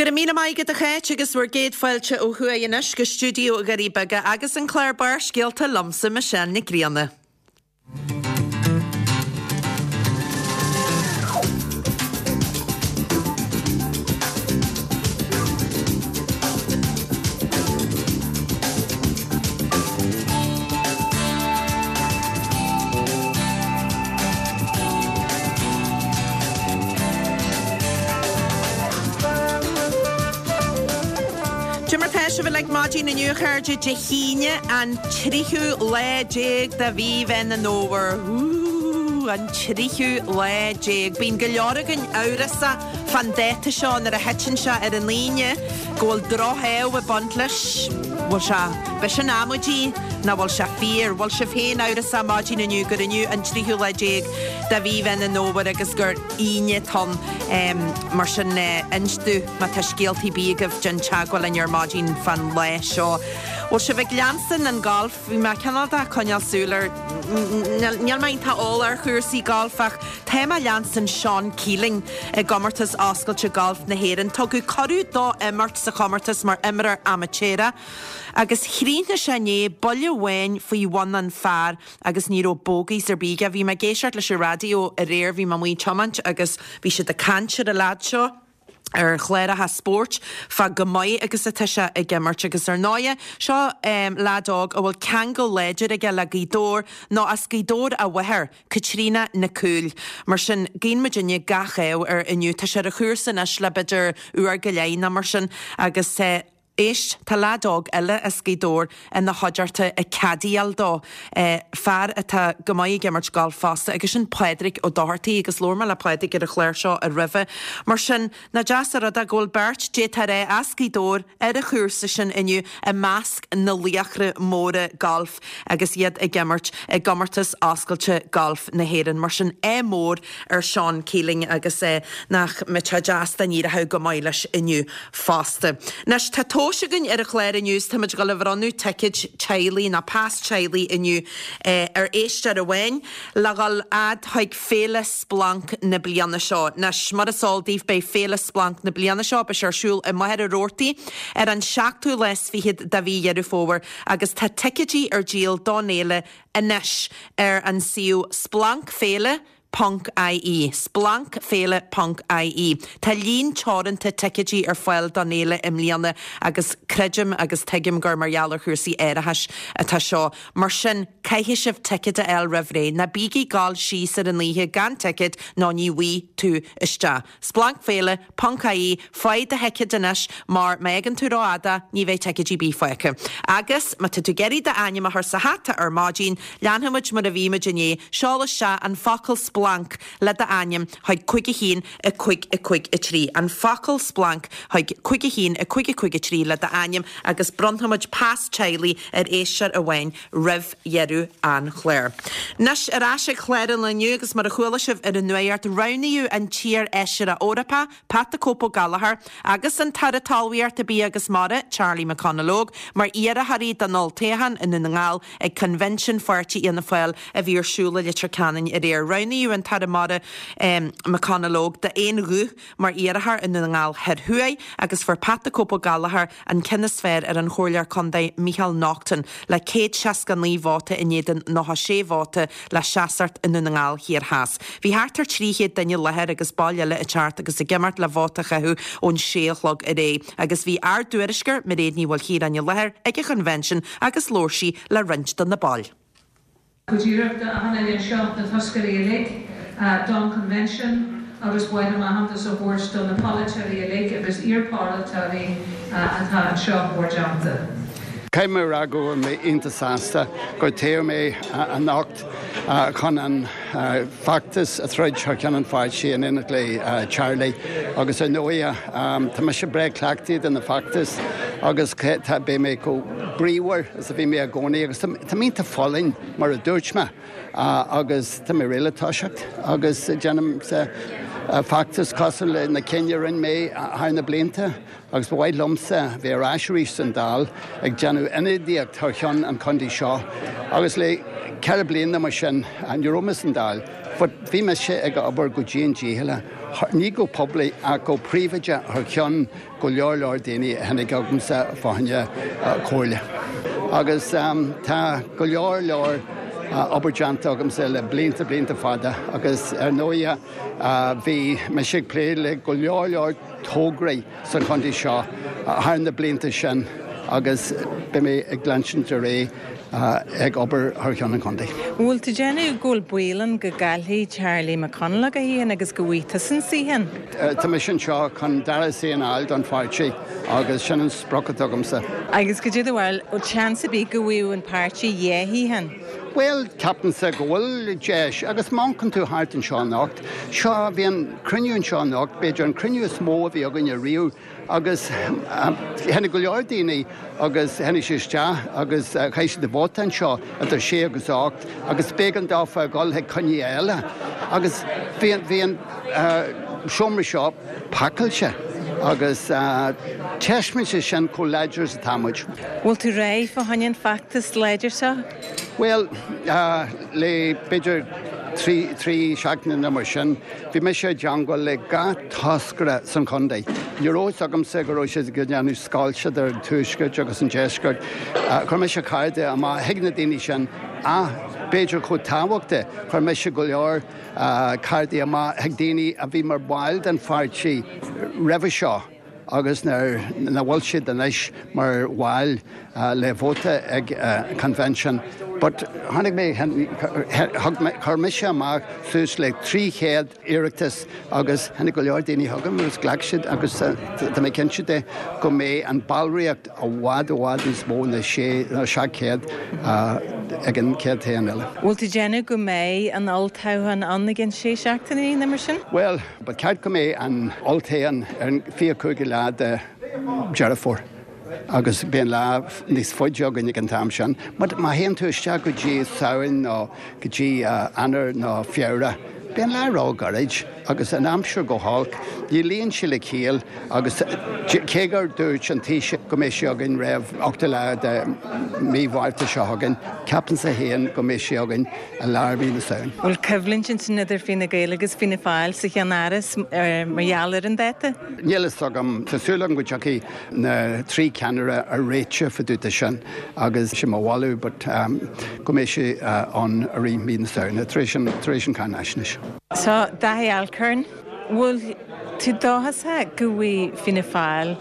Go raibh míle maith agat a Cháit agus bhur gcéad fáilte ó thuaidh anois go stiúideo Dhoirí Beaga agus an clár Barrscéalta liomsa Michelle Nic Grianna. Cad é mar tá sibh uilig maidin inniu a chairde, Dé hAoine an tríú lá déag de mhí Mheán an Fhómhair. Ooh, an tríú lá déag. Bíonn go leor againn amhrasach fán dáta seo nuair a thiteann sé ar an Aoine go bhfuil droch-ádh ag baint leis. Bhfuil sé, b'shin amaidí nó bhfuil sé fíor? Bhfuil sibh féin amhrasach maidin inniu gur inniu an tríú lá déag de mhí Mheán an Fhómhair agus gur Aoine atá ann? Mar sin, inis domh má tá scéaltaí ar bith agaibh, déan teagmháil linn ar maidin fán lá seo. Bhfuil sibh ag leanstan an galf? Bhí mé cineál de coinneáil súil ar, níl mé iontach eolach ar chúrsaí gailf ach tá mé ag leanstan Seán Keeling i gcomórtas oscailte gailf na hÉireann. Tugadh cuireadh dó imirt sa chomórtas mar imreoir amaitéarach agus chríochnaigh sé inné buille amháin faoi bhun an phar agus ní raibh bogeys ar bith aige. Bhí mé ag éisteacht leis an raidió aréir, bhí mé amuigh ag tiomáint agus bhí siad ag caint ar an leaid seo. ar chláracha spóirt fá chomh maith agus atá sé ag imirt agus ar ndóighe seo leaid óg a bhfuil ceangal láidir aige le Gaoth Dobhair nó as Gaoth Dobhair a mháthair, Caitríona Nic Cumhaill. Mar sin, guíonn muidinne gach ádh air inniu. Tá sé ar an chúrsa anois le b'fhéidir uair go leith nó mar sin agus. Éist, tá leaid óg eile as Gaoth Dobhair ina chuideachta ag caddyáil dó, fear atá go maith ag imirt gailf fosta, agus sin Pádraig Ó Dochartaigh, agus labhair mé le Pádraig ar an chlár seo roimhe. Mar sin, nach deas an rud é go bhfuil beirt, d'fhéadfá a rá, as Gaoth Dobhair ar an chúrsa sin inniu i measc na laochra móra gailf agus iad ag imirt i gComórtas Oscailte Gailf na hÉireann. Mar sin, ádh mór ar Seán Keeling agus nach mbeadh sé deas dá n-éireodh go maith leis inniu fosta. Anois, tá tomhas againn ar an chlár inniu is táimid ag dul a bhronnadh ticéid teaghlaigh nó pas teaghlaigh inniu ar éisteoir amháin le dhul fhad chuig Féile Splanc na bliana seo. Anois, mar is eol daoibh, beidh Féile Splanc na bliana seo, beidh sé ar siúl i Machaire Rabhartaigh ar an seachtú lá is fichead de mhí Dheireadh Fómhair agus tá ticéidí ar díol don fhéile anois ar an suíomh splancféile ponc ie, splancféile ponc ie. Tá líon teoranta ticéidí ar fáil don fhéile i mbliana agus creidim agus tuigim gur mar gheall ar chúrsaí árachais atá seo. Mar sin, caithfidh sibh ticéad a fháil roimh ré. Ná bígí ag gabháil síos ar an oíche gan ticéad nó ní bhfaighidh tú isteach. Splancféile ponc ie, Faigh do thicéad anois mar má fhágann tú rófhada ní bheidh ticéidí ar bith fágtha. Agus má tá tú ag iarraidh d'ainm a chur sa hata ar maidin, leanfaidh muid mar a bhí muid inné, seol isteach an focal splanc le d'ainm chuig 5 1 5 5 3. An focal splanc chuig 5 1 5 5 3 le d'ainm agus bronnfaidh muid pas teaghlaigh ar éisteoir amháin roimh dheireadh an chláir. Anois, ar ais ag clár an lae inniu agus mar a chuala sibh ar an nuacht, roghnaíodh an t-iar-fheisire Eorpach, Pat the Cope Ó Gallchóir, agus an tAire Talmhaíochta, Bia agus Mara, Charlie McConalogue, mar iarrthóirí don olltoghchán i nDún na nGall ag Coinbhinsiún Pháirtí Fhianna Fáil a bhí ar siúl i Leitir Ceanainn aréir. Roghnaíodh an tAire Mara McConalogue d'aon ghuth mar iarrthóir i nDún na nGall Thoir Thuaidh agus fuair Pat the Cope Ó Gallchóir an ceann is fearr ar an Chomhairleoir Contae Micheál Naughton le 169 vóta in éadan 96 vóta le seasacht i nDún na nGall Thiar Theas. Bhí thart ar 300 duine i láthair agus baill eile ag teacht agus ag imeacht le vóta a chaitheamh ón sé a chlog aréir agus bhí ár dtuairisceoir Mairéad Ní Mhaoilchiaráin i láthair ag an choinbhinsean agus labhair sí le roinnt de na baill. Go díreach do achan duine anseo, na toscairí uilig, don Convention agus ba mhaith liom aitheantas a thabhairt do na polaiteoirí uilig agus iar-pholaiteoirí atá anseo bhur dteannta. Caithfidh mé a rá go bhfuil mé iontach sásta gur toghadh mé anocht chun an feachtas a throid thar ceann an pháirtí in éineacht le Charlie agus ar ndóighe tá mise breá cleachtaithe do na feachtais agus beidh mé chomh bríomhar is a bhí mé i gcónaí agus tá mé iontach folláin mar a dúirt mé agus tá mé réidh le toiseacht agus déanaim feachtas cosúil le na cinn a rinne mé thar na blianta agus ba mhaith liomsa bheith ar ais arís san Dáil ag déanamh ionadaíocht thar cheann an chontae seo agus le ceithre bliana mar sin ní raibh mé san Dáil. But bhí mise ag obair go dian dícheallach, ní go poiblí ach go príobháideach thar cheann go leor leor daoine a tháinig chugamsa fá choinne comhairle. Agus tá go leor leor obair déanta agamsa le blianta blianta fada agus ar ndóighe bhí mise ag plé le go leor leor tograí sa chontae seo thar na blianta sin agus beidh mé ag leanstan ar aghaidh ag obair thar cheann an chontae. Bhfuil tú déanamh go bhfuil baol ann go gcaillfidh Charlie McConalogue a shuíochán agus go bhfaighidh tusa an suíochán? Tá mise anseo chun dara suíochán a fháil don pháirtí agus sin an sprioc atá agamsa. Agus cad é do bharúil, bhfuil seans ar bith go bhfaigheadh an páirtí dhá shuíochán? Bhuel, ceapaimse go bhfuil deis, agus má amharcann tú thart anseo anocht, seo, bhí an cruinniú anseo anocht, b'fhéidir an cruinniú is mó a bhí againne riamh, agus tháinig go leor daoine agus tháinig siad isteach agus chaith siad a vóta anseo idir sé agus 8 agus b'éigean dófa a dhul chuig cruinnithe eile agus bhí an, bhí an seomra seo pacáilte agus taispeánann sé sin chomh láidir is atá muid. Bhfuil tú réidh fá choinne an feachtas láidir seo? Bhuel, le b'fhéidir 3 seachtaine nó mar sin, bhí mise i dteangmháil le gach toscaire san chontae. Ní raibh fhios agamsa go raibh siad ag déanamh scoilt idir an tuaisceart agus an deisceart. Chuir mise cártaí amach chuig na daoine sin ach b'fhéidir chomh tábhachtach, chuir mise go leor cártaí amach chuig daoine a bhí mar bhaill den pháirtí roimhe seo agus nach bhfuil siad anois mar bhaill le vóta ag convention. But tháinig mé, chuir mise amach suas le 300 iarratas agus tháinig go leor daoine chugam agus ghlac siad agus tá mé cinnte de go mbeidh an ballraíocht i bhfad i bhfad níos mó ná 6 nó 700 ag an chéad toghchán eile. Bhfuil tú ag déanamh go mbeidh an olltoghchán ann i gcionn sé seachtainí nó mar sin? Bhuel, ba cheart go mbeidh an olltoghchán ar an 25ú lá de Deireadh Fómhair agus beidh an lá níos faide againn ag an t-am sin. But má théann tú isteach go dtí Samhain nó go dtí Eanáir nó Feabhra, beidh an lá ró-ghairid agus an aimsir go holc, ní luíonn sé le ciall agus cé gur dúirt an Taoiseach go mbeidh sé againn roimh 8ú lá de mí Mhárta seo chugainn, ceapaimse féin go mbeidh sé againn i lár mí na Samhain. Bhfuil coimhlint ansin idir Fianna Gael agus Fianna Fáil sa cheannáras mar gheall ar an dáta? Níl fhios agam. Tá súil agam go dtiocfaidh na trí ceannaire ar réiteach fá dtaobh de sin agus sé mo mholadh but go mbeidh sé ann i rith mí na Samhna tar éis an tar éis an cháinaisnéis. So, Dáithí Alcorn, bhfuil tú dóchasach go bhfaighidh Fianna Fáil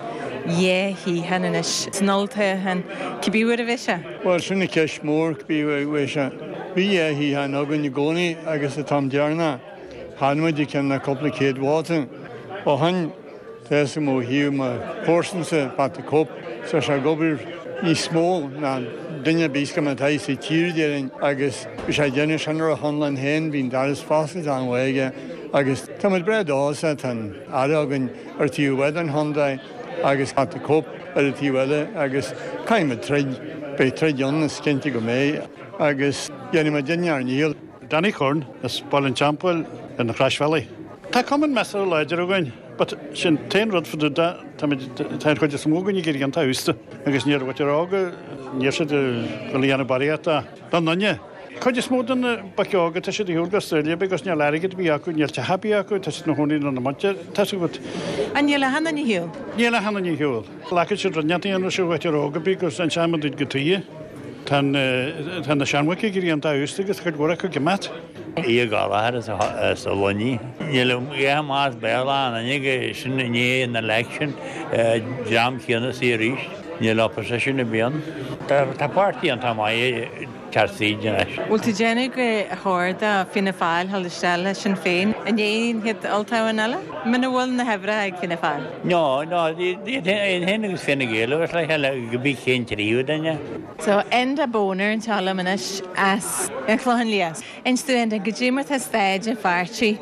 dhá shuíochán anois san olltoghchán, cibé uair a bheidh sé? Bhuel, sin an cheist mhór, cibé uair a bheidh sé. Bhí dhá shuíochán againn i gcónaí agus an t-am deireanach, chaill muid i gcionn le cúpla céad vóta. Ó shin, Tá fhios agam ó thaobh mo chomharsansa, Pat the Cope, tá sé ag obair níos mó ná duine ar bith go atá sa tír déarfainn agus bhí sé ag déanamh sin ar a chonlán féin, bhí an doras foscailte an-mhaith aige agus tá muid breá dóchasach, tá an Aire againn ar taobh amháin den chontae agus Pat the Cope ar an taobh eile agus caithfidh muid troid, beidh troid ann is cinnte go mbeidh agus déanfaidh muid ár ndícheall. Danny Curran as Baile an Teampaill ar na Croisbhealaí. Tá cumann measartha láidir againn but sin t-aon rud fá dtaobh de, táimid, tá an chuid is mó againn ag éirí iontach aosta agus níor mhaith ar óga, níl siad ag dul a dhéanamh barraíocht don duine. Cuid is mó de na boic óga, tá siad ar shiúl go Australia because níl airgead ar bith acu, níl teach ar bith acu, tá siad ina chónaí lena muintir, tá 's agat. An níl achan duine ar shiúl? Níl achan duine ar shiúl. Glacann siad rud inteacht a dhéanamh seo uait ar óg ar bith gus an sean duit go tuighe. Tá tá na seanbhoic ag éirí iontach aosta agus cuid mhór acu ag imeacht. Aodh Gallchóir as an Luinnigh. Níl a dhath amach as Béarla ann inniu, sin i ndiaidh an election, dream céanna suí arís. Níl opposition ar bith ann. Tá páirtí iontach maith ag teacht tríd anois. Bhfuil tú ag déanamh gur chóir do Fianna Fáil dhul isteach le Sinn Féin i ndiaidh an chéad olltoghchán eile? Muna bhfuil na huimhreacha ag Fianna Fáil? No, no, iad féin agus Fine Gael a bheas le chéile, go bí cén tríú duine. So, Enda Boner anseo liom anois as an Chlochán Liath. Inis dúinn, Enda, goidé mar tá staid an pháirtí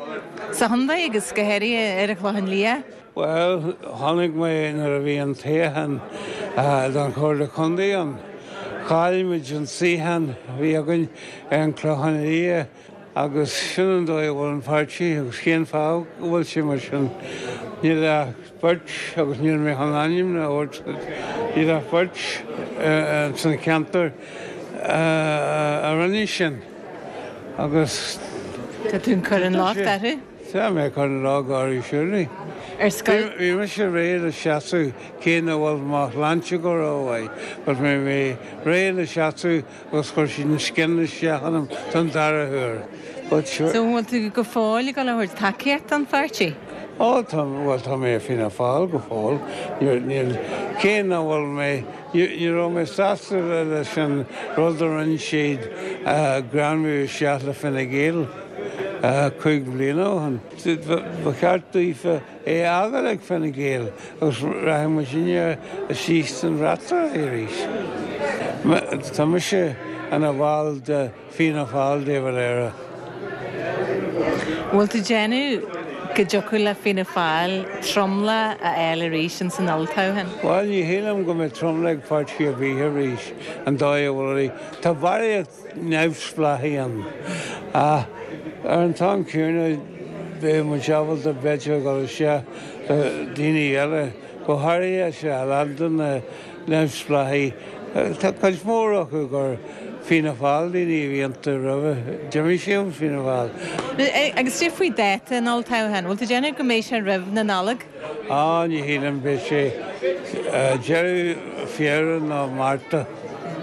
sa chontae agus go háirithe ar an Chlochán Liath? Bhuel, chonaic mé nuair a bhí an toghchán don Chomhairle Contae ann. Chaill muid an suíochán a bhí againn ar an Chlochán Liath agus sin an dóigh a bhfuil an páirtí agus cén fáth go bhfuil sé mar sin. Níl ach beirt, agus níl mé chun ainm a thabhairt, níl ach beirt san cheantar a rinne sin agus. Tá tú ag cur an locht orthu? Tá mé ag cur an locht orthu surely. Ar scoil? Bhí mise réidh le seasamh cé nach bhfuil mo shláinte go rómhaith but bhí mé réidh le seasamh agus chuir siad an scian isteach ionam don dara huair. But sure. So an bhfuil tú go fóill ag dul a thabhairt tacaíocht don pháirtí? Ó tá, bhuel tá mé i Fianna Fáil go fóill. Níl, níl, cé nach bhfuil mé, ní, ní raibh mé sásta leis an rud a rinne siad greamú isteach le Fine Gael 5 bliana ó shin. Ba cheart daofa é a fhágáil ag Fine Gael agus rachaidh muidinne istigh san fhreasúra arís. Tá mise ina bhall de Fianna Fáil de Valera. Bhfuil tú déanamh go dtiocfadh le Fianna Fáil tromlach a fháil arís ins an olltoghchán? Bhuel, ní shílim go mbeidh tromlach ag páirtí ar bith arís, an dóigh a bhfuil. Tá barraíocht neamhspleáchaí ann. Ach ar an t-am céanna beidh muid ábalta b'fhéidir a dhul isteach le daoine eile, go háirithe is a lán de na neamhspleáchaí, tá cuid mhór acu gur Fianna Fáil daoine a bhí iontu roimhe, d'imigh siad ón Fianna Fáil. Agus cad é faoi dáta an olltoghcháin, bhfuil tú ag déanamh go mbeidh sé roimh na Nollag? Á, ní shílim, beidh sé deireadh Feabhra nó Márta.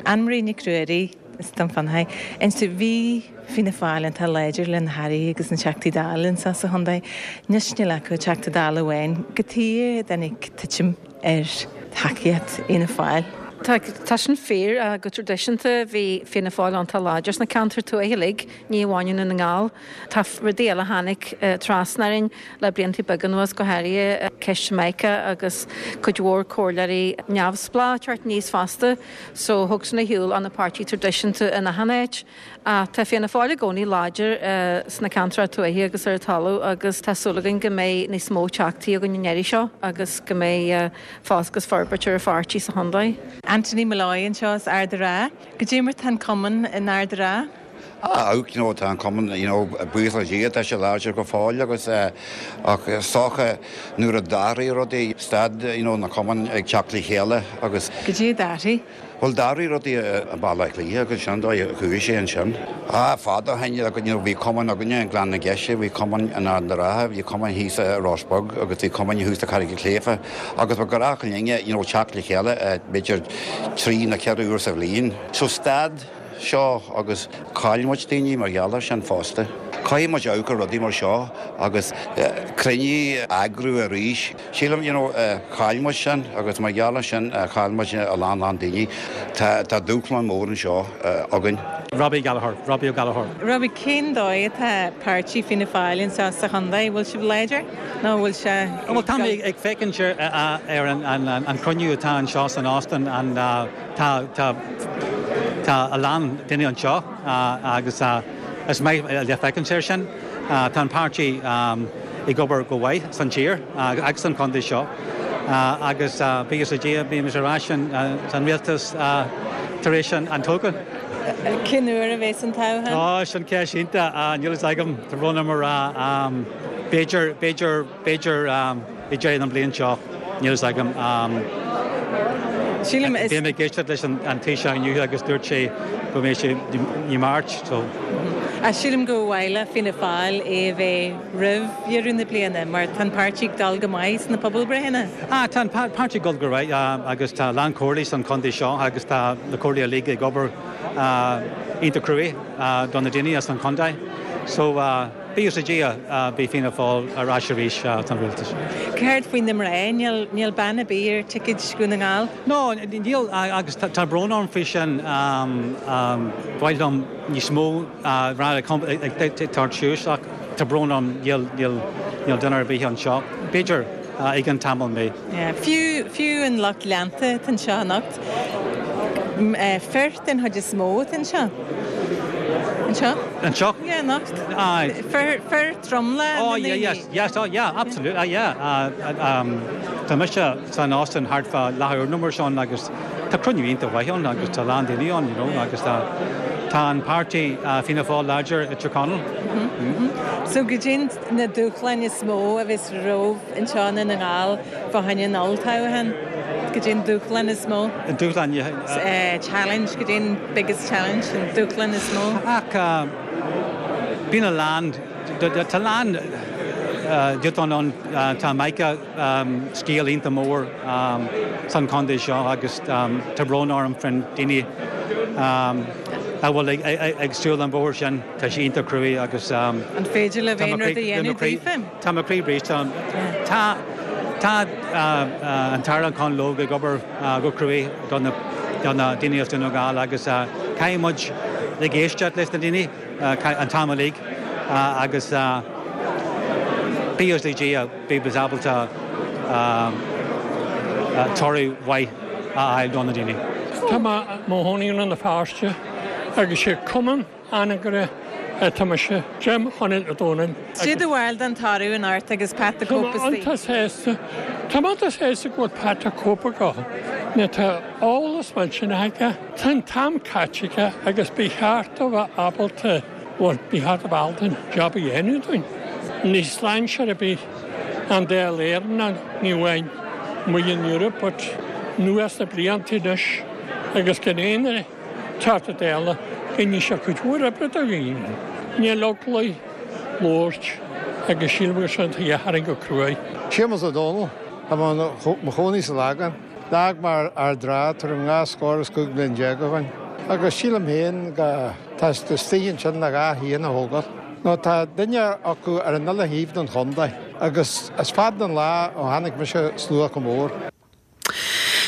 Anne Marie Nic Ruairí, as Dún Fionnachaidh. Inis dúinn, bhí Fianna Fáil iontach láidir le na hAirí agus na Teachtaí Dála anseo sa chontae. Anois níl acu ach Teachta Dála amháin. Cad chuige a dtáinig titim ar thacaíocht Fhianna Fáil? Tá, tá sin fíor. Go traidisiúnta bhí Fianna Fáil iontach láidir sna ceantair tuaithe uilig, ní amháin i nDún na nGall. Tá rudaí eile a tháinig trasna orainn le blianta beaga anuas, go háirithe ceist Mica agus cuid mhór comhairleoirí neamhspleách ag teacht aníos fosta. So thug sin ar shiúl ó na páirtí traidisiúnta in achan áit. Ach tá Fianna Fáil i gcónaí láidir sna ceantracha tuaithe agus ar an talamh agus tá súil againn go mbeidh níos mó teachtaí againn an iarraidh seo agus go mbeidh fás agus forbairt ar an pháirtí sa chontae. Anthony Molloy anseo as Ard a' Rátha. Goidé mar tá an cumann in Ard a' Rátha? Ah, you know, tá an cumann, you know, buíochas le Dia, tá sé láidir go fóill agus eh, ach is dócha nuair a d'athraigh rudaí, stad, you know, na cumainn ag teacht le chéile agus. Goidé a d'athraigh? Bhuel, d'athraigh rudaí i mBaile Átha Cliath agus sin an dóigh a chuaigh sé ansin. Ah, fada ó shin, you know, bhí cumann againne i nGleann na Geise, bhí cumann in Ard na Rátha, bhí cumann thíos i Ros Beag agus bhí cumann thuas i Carraig an tSléibhe agus ba ghnách linne, you know, teacht le chéile eh, b'fhéidir trí nó ceithre uair sa bhliain. So stad. seo agus chaill muid daoine mar gheall air sin fosta. Caithfidh muid amharc ar rudaí mar seo agus cruinniú a eagrú arís. Sílim, you know, chaill muid sin agus mar gheall air sin chaill muid a lán lán daoine. Tá tá dúshlán mór anseo againn. Robbie Gallagher, Robbie Ó Gallchóir. Robbie, cén dóigh atá páirtí Fianna Fáil anseo sa chontae? Bhfuil sibh láidir nó bhfuil sé Bhuel, tá mé ag féachaint ar an chruinniú atá anseo san óstán, an Tá, tá, tá a lán daoine anseo agus is maith le féachaint air sin. Tá an páirtí ag obair go mhaith san tír agus san chontae seo agus buíochas le Dia beimid ar ais san rialtas tar éis an toghcháin. Cén uair a bheas an toghchán? Ó, sin ceist iontach. Níl fhios agam, tá brón orm a rá. B'fhéidir, b'fhéidir. B'fhéidir ag deireadh na bliana seo, níl fhios agam. Sílim is. Bhí mé ag éisteacht leis an Taoiseach inniu agus dúirt sé go mbeidh sé i March, so. Ach sílim gur mhaith le Fianna Fáil é a bheith roimh dheireadh na bliana mar tá an páirtí ag dul go maith sna pobalbreitheanna. Ah, tá an páirtí ag dul go maith agus tá a lán comhairlí san chontae seo agus tá na comhairlí uilig ag obair iontach cruaidh do na daoine as an chontae. So. Buíochas le Dia, beidh Fianna Fáil ar ais arís san rialtas. Céard faoi na mná? Níl bean ar bith ar ticéad Dhún na nGall? No, níl agus tá brón orm faoi sin. Ba mhaith liom níos mó mná ag tabhairt suas ach tá brón orm níl duine ar bith anseo. B'fhéidir i gceann tamall mé. Fiú, fiú an lucht leanta atá anseo anocht, fir den chuid is mó atá anseo. Anseo? Anseo? Yeah, anocht. Aye. Fir, fir tromlach Oh, yeah, yes, yes, oh, yeah, absolutely, uh, yeah. Uh, um, tá mise san óstán thart fá leathuair nó mar sin agus tá cruinniú iontach mhaith ann agus tá lán daoine ann, you know, agus tá tá an páirtí uh, Fianna Fáil láidir i Tír Chonaill. Mm -hmm. So goidé na dúshláin is mó a bheas romhaibh anseo i nDún na nGall fá choinne an olltoghcháin? Goidé an dúshlán is mó? An dúshlán, yeah. Challenge, goidé an biggest challenge, an dúshlán is mó? Ach. Bíonn a lán, tá a lán dúshlán ann, tá Mica scéal iontach mór san chontae seo agus tá brón orm faoin daoine a bhfuil ag siúl an bhóthar sin, tá sé iontach cruaidh agus An féidir libh aon rud a dhéanamh daofa? Tá mo chroí briste. Tá tá an tAire McConalogue ag obair go cruaidh do na daoine as Dún na nGall agus caithfidh muid ag éisteacht leis na daoine an t-am uilig agus buíochas le Dia beidh muid ábalta toradh mhaith a fháil do na daoine. Tá mé i mo chónaí i Rann na Feirste agus sé Cumann Anagaire atá mise, Jim Chonaill Ó Dónaill. Cad é do bharúil den toradh anocht agus Pat the Cope Tá mé iontach sásta. Tá mé iontach sásta go bhfuil Pat the Cope ag dul. Nó tá eolas millteanach aige. Tá an t-am caite aige agus ba cheart dó bheith ábalta, bhuel, ba cheart dó bheith ábalta an job a dhéanamh dúinn. Ní strainséir ar bith an Dáil Éireann, ní amháin amuigh in Europe but anuas na blianta anois agus gan aon Teachta Dála, rinne sé cuid mhór oibre do dhaoine. Níl eagla air labhairt agus sílim gur sin an tuige a tharraing go cruaidh. Séamus Ó Dónaill, Tá mé mo chónaí sa Lagán. D'fhág mé Ard an Rátha tuairim 25 bliain ó shoin. Agus sílim féin go tá siad istigh ansin le gach aon a thógáil. Nó tá duine acu ar an uile thaobh den chontae. Agus is fada an lá ó chonaic mise slua chomh mór.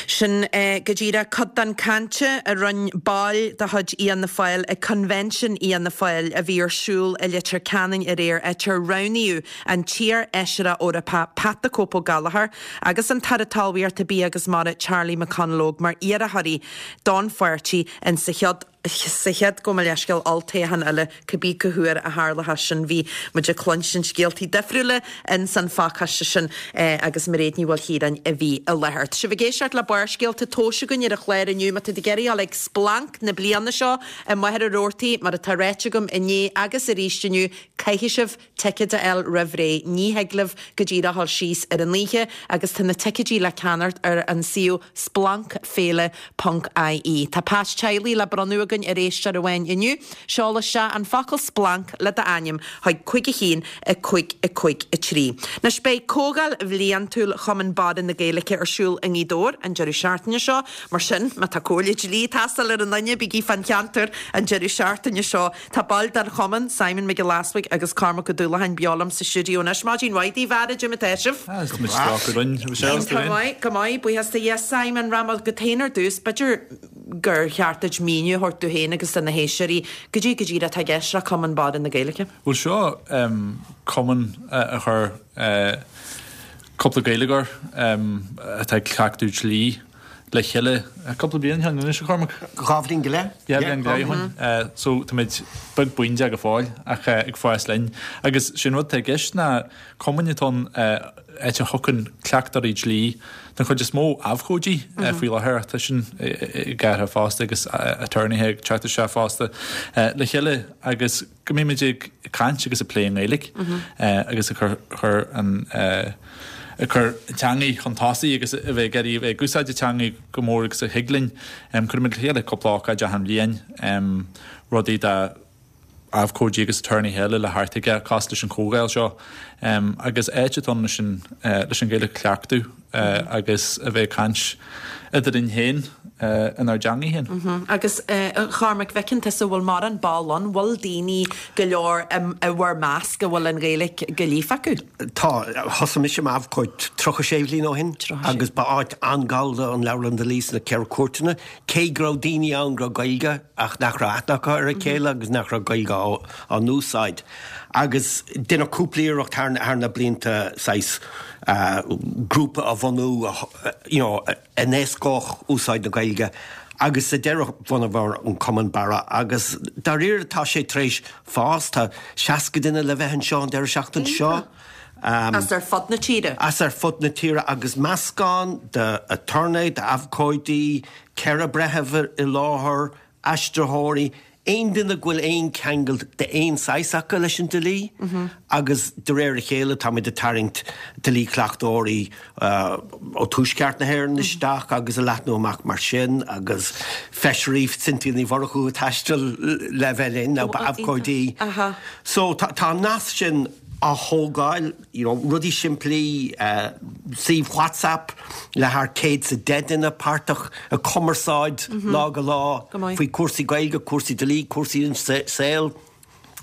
Sin go díreach cuid den chaint a rinne baill de chuid Fhianna Fáil ag Convention Fhianna Fáil a bhí ar siúl i Leitir Ceanainn aréir, áit ar roghnaíodh an t-iar-fheisire Eorpach Pat the Cope Ó Gallchóir agus an tAire Talmhaíochta, Bia agus Mara Charlie McConalogue mar iarrthóirí don pháirtí insa chéad sa chéad, gabh mo leithscéal, olltoghchán eile, cibé cá huair a tharlóchas sin. Bhí muid ag cluinstin scéaltaí difriúla ins an phacáiste sin agus Mairéad Ní Mhaoilchiaráin a bhí i láthair. Tá sibh ag éisteacht le Barrscéalta tomhaiste againn ar an chlár inniu. Má tá tú ag iarraidh dul ag splanc na bliana seo i Machaire Rabhartaigh, mar atá ráite agam inné agus arís inniu, caithfidh sibh ticéid a fháil roimh ré. Ní thig libh go díreach dul síos ar an oíche agus tá na ticéidí le ceannacht ar an suíomh splancféile ponc ie. Tá pas teaghlaigh le bronnadh againn ar éisteoir amháin inniu. Seol isteach an focal splanc le d'ainm chuig 5 1 5 5 3. Anois beidh comhdháil bhliantúil Chumann Barra na Gaeilge ar siúl i nGaoth Dobhair an deireadh seachtaine seo. Mar sin, má tá comhairle dlí ag teastáil ar aon duine, bígí fán cheantar an deireadh seachtaine seo. Tá baill den chumann, Simon Mac Giolla Easbuig agus Cormac Ó Dúlacháin beo liom sa stiúideo anois. Maidin mhaith daoibh, a fheara, cad é mar atá sibh? Tá muid go Go maith, go maith, buíochas do Dhia. Simon, rachaidh mé chugat féin ar dtús, b'fhéidir gur cheart duit míniú a thabhairt dúinn féin agus do na héisteoirí goidé go díreach atá i gceist le Cumann Barra na Gaeilge. Bhuel seo cumann a chuir cúpla Gaeilgeoir atá ag cleachtadh dlí le chéile cúpla bliain ó shin anois, a Chormaic? Dhá bhliain go leith. Dhá bhliain go leith ó shin. So táimid beag buíon de go fóill ach ag fás linn. Agus sé'n rud atá i gceist ná cumann atá ann áit a thiocfainn cleachtóirí dlí, den chuid is mó abhcóidí faoi láthair ach tá sin ag athrú fosta agus aturnaetha ag teacht isteach fosta le chéile agus go mbeimid ag caint agus ag plé i nGaeilge agus ag cur an ag cur an teangaidh chun tosaigh agus a bheith ag iarraidh a bheith ag úsáid an teangaidh go mór agus a thig linn. Cuirimid le chéile cúpla ócáid achan bhliain, rudaí do abhcóidí agus aturnaetha eile le theacht chuige cosúil leis an chomhdháil seo agus áit atá ann leis an leis an Ghaeilge a chleachtadh agus a bheith ag caint eadrainn féin inár dteangaidh féin. Agus a Chormaic, bhfeiceann tusa bhfuil mórán ball ann, bhfuil daoine go leor i bhur measc a bhfuil an Ghaeilge go líofa acu? Tá. Thosaigh mise mar abhcóid 36 bhliain ó shin agus ba áit an-ghallda an Leabharlann Dlí sna Ceithre Cúirteanna, cé go raibh daoine ann go raibh Gaeilge ach nach raibh aithne acu ar a chéile agus nach raibh Gaeilge á n-úsáid. Agus deineadh cúpla iarracht thar na blianta saghas grúpa a bhunú you know a n-éascódh úsáid na Gaeilge agus sa deireadh bhunaíomar an Cumann Barra agus dáiríre tá sé tar éis fás, tá 60 duine le bheith anseo an deireadh seachtaine seo. As ar fud na tíre? As ar fud na tíre agus meascán de aturnae, d'abhcóidí, 4 breitheamh i láthair, aistritheoirí. Aon duine go bhfuil aon cheangal d'aon saghas acu leis an dlí agus de réir a chéile táimid ag tarraingt dlí-chleachtóirí ó Tuaisceart na hÉireann isteach agus ag leathnú amach mar sin agus feisirí Cynthia Ní Mhurchú ag taisteal le bheith linn nó ba abhcóid í. So tá an nasc sin á thógáil, you know, rudaí simplí, suíomh WhatsApp le thar 110 duine páirteach ag cumarsáid lá go lá faoi cúrsaí Gaeilge, cúrsaí dlí, cúrsaí an saol.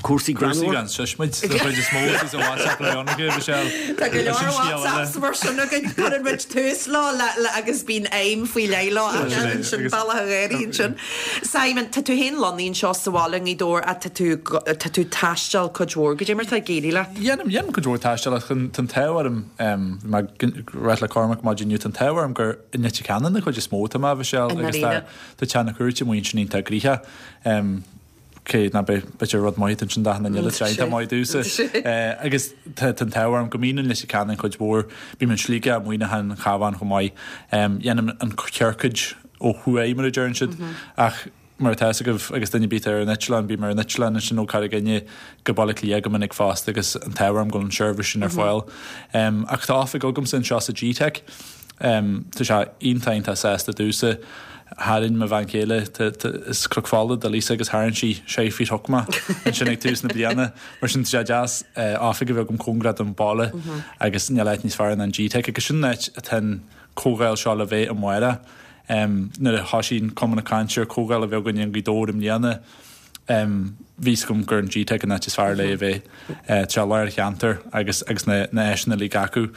Cúrsaí greannmhar. Cúrsaí gan seismid den chuid is mó is a WhatsApp le Ionnacha, Michelle. Tá go leor WhatsApps mar sin againn, cuireann muid tús leo le agus bíonn aidhm faoi leith leo ach ansin bealach a ghéaraí ansin. Simon, tá tú féin lonnaithe anseo sa bhaile i nGaoth Dobhair ach tá tú tá tú ag taisteal cuid mhór. Goidé mar atá ag éirí leat? Dhéanaim, dhéanaim cuid mhór taistil ach tá an t-ádh orm, bhí mé ag ráit le Cormac maidin inniu, tá an t-ádh orm gur i Leitir Ceanainn den chuid is mó atá mé, Michelle, agus tá tá teach na cúirte amuigh ansin iontach gnoitheach. Cé nach b'fhéidir rud maith ansin d'achan duine eile, tá sé maith domhsa. Agus tá an t-ádh orm go mbím i Leitir Ceanainn cuid mhór, bím in Sligeach, Muineachán, an Cabhán chomh maith. Dhéanaim an ciorcaid ó thuaidh mar a deireann siad ach mar atá fhios agaibh agus duine ar bith atá ar an eitleán, bím ar an eitleán ansin ó Carraig Fhinne go Baile Átha Cliath go minic fosta agus an t-ádh orm go bhfuil an seirbhís sin ar fáil. Ach tá oifig agamsa anseo sa GTeic. Tá sé iontach iontach sásta domhsa. Tharraing mo bhean chéile, is Cnoc Fola do Lisa agus tharraing sí sé faoi shoc mé ansin ag tús na bliana. Mar sin tá sé deas oifig a bheith agam cóngarach don bhaile agus níl áit níos fearr ná an GTeic agus sin an áit atá an comhdháil seo le bheith amárach. Nuair a thoisigh an cumann ag caint ar comhdháil a bheith againn i nGaoth Dobhair i mbliana, Bhí fhios agam gur an GTeic an áit is fearr le a bheith. Tá sé i lár an cheantair agus agus na na áiseanna uilig acu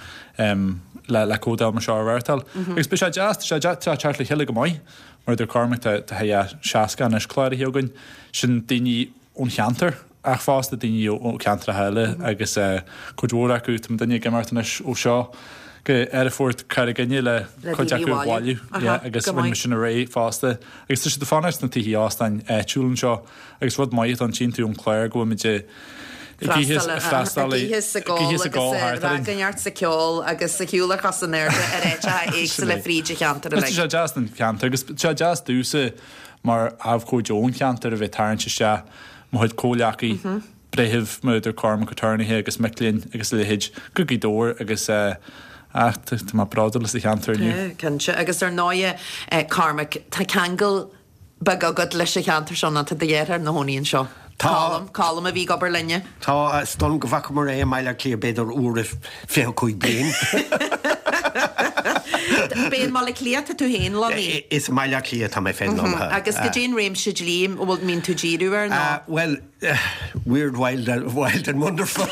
le le comhdháil mar seo a reáchtáil. Agus beidh sé deas, tá sé tá sé ag teacht le chéile go maith. Mar a dúirt Cormac tá tá thar 60 anois cláraithe againn. Sin daoine ón cheantar ach fosta daoine ó cheantracha eile agus cuid mhór acu, tá muidinne ag imeacht anois ó seo go aerfort Carraig Fhinne le cuid acu a bhailiú agus rinne muid sin aréir fosta. Agus tá siad ag fanacht sna tithe óstáin áitiúil anseo agus rud maith atá ann, tchíonn tú ón chlár go bhfuil muid ag ithe is ag freastal ag ithe is ag ól agus ag ragairneacht is ag ceol agus ag siúl ar chosa in airde ar áiteacha éagsúla fríd an cheantar uilig. Tá sé deas don cheantar agus tá sé deas domhsa mar abhcóide ón cheantar a bheith ag tarraingt isteach mo chuid comhghleacaí, breithimh, mar a dúirt Cormac, aturnaetha agus mic léinn agus a leithéid go Gaoth Dobhair agus ach tá mé bródúil as an cheantar inniu. Tá, cinnte. Agus ar ndóighe, Cormac, tá ceangal beag agat leis an cheantar seo nó tá do dheartháir ina chónaí anseo. Tá. Colm, Colm a bhí ag obair linne. Tá, is dóigh liom go bhfacamar é i mBaile Átha Cliath b'fhéidir uair i 25 bliain. B'é i mBaile Átha Cliath atá tú féin lonnaithe? Is i mBaile Átha Cliath atá mé féin lonnaithe. Agus goidé an réimse dlí a bhfuil, mbíonn tú díriú air nó? Bhuel, Weird, wild, wild and wonderful.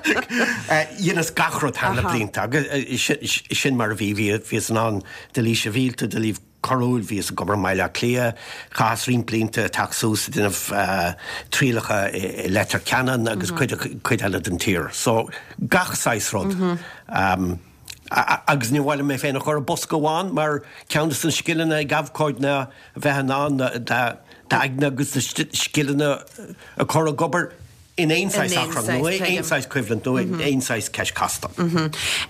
Dheineas gach rud thar na blianta agus sin mar a bhí. Bhíos in ann dlí sibhialta, dlí coiriúil, bhíos ag obair i mBaile Átha Cliath, chaitheas roinnt blianta ag teacht suas ag déanamh trialacha i Leitir Ceanainn agus cuid eile den tír. So gach saghas rud. Agus ní mhaith liom mé féin a chur i bosca amháin mar ceann de na scileanna ag abhcóid ná a bheith in ann d'aigne agus do scileanna a chur ag obair in aon saghas achrann nó aon saghas coimhlint nó aon saghas ceist casta.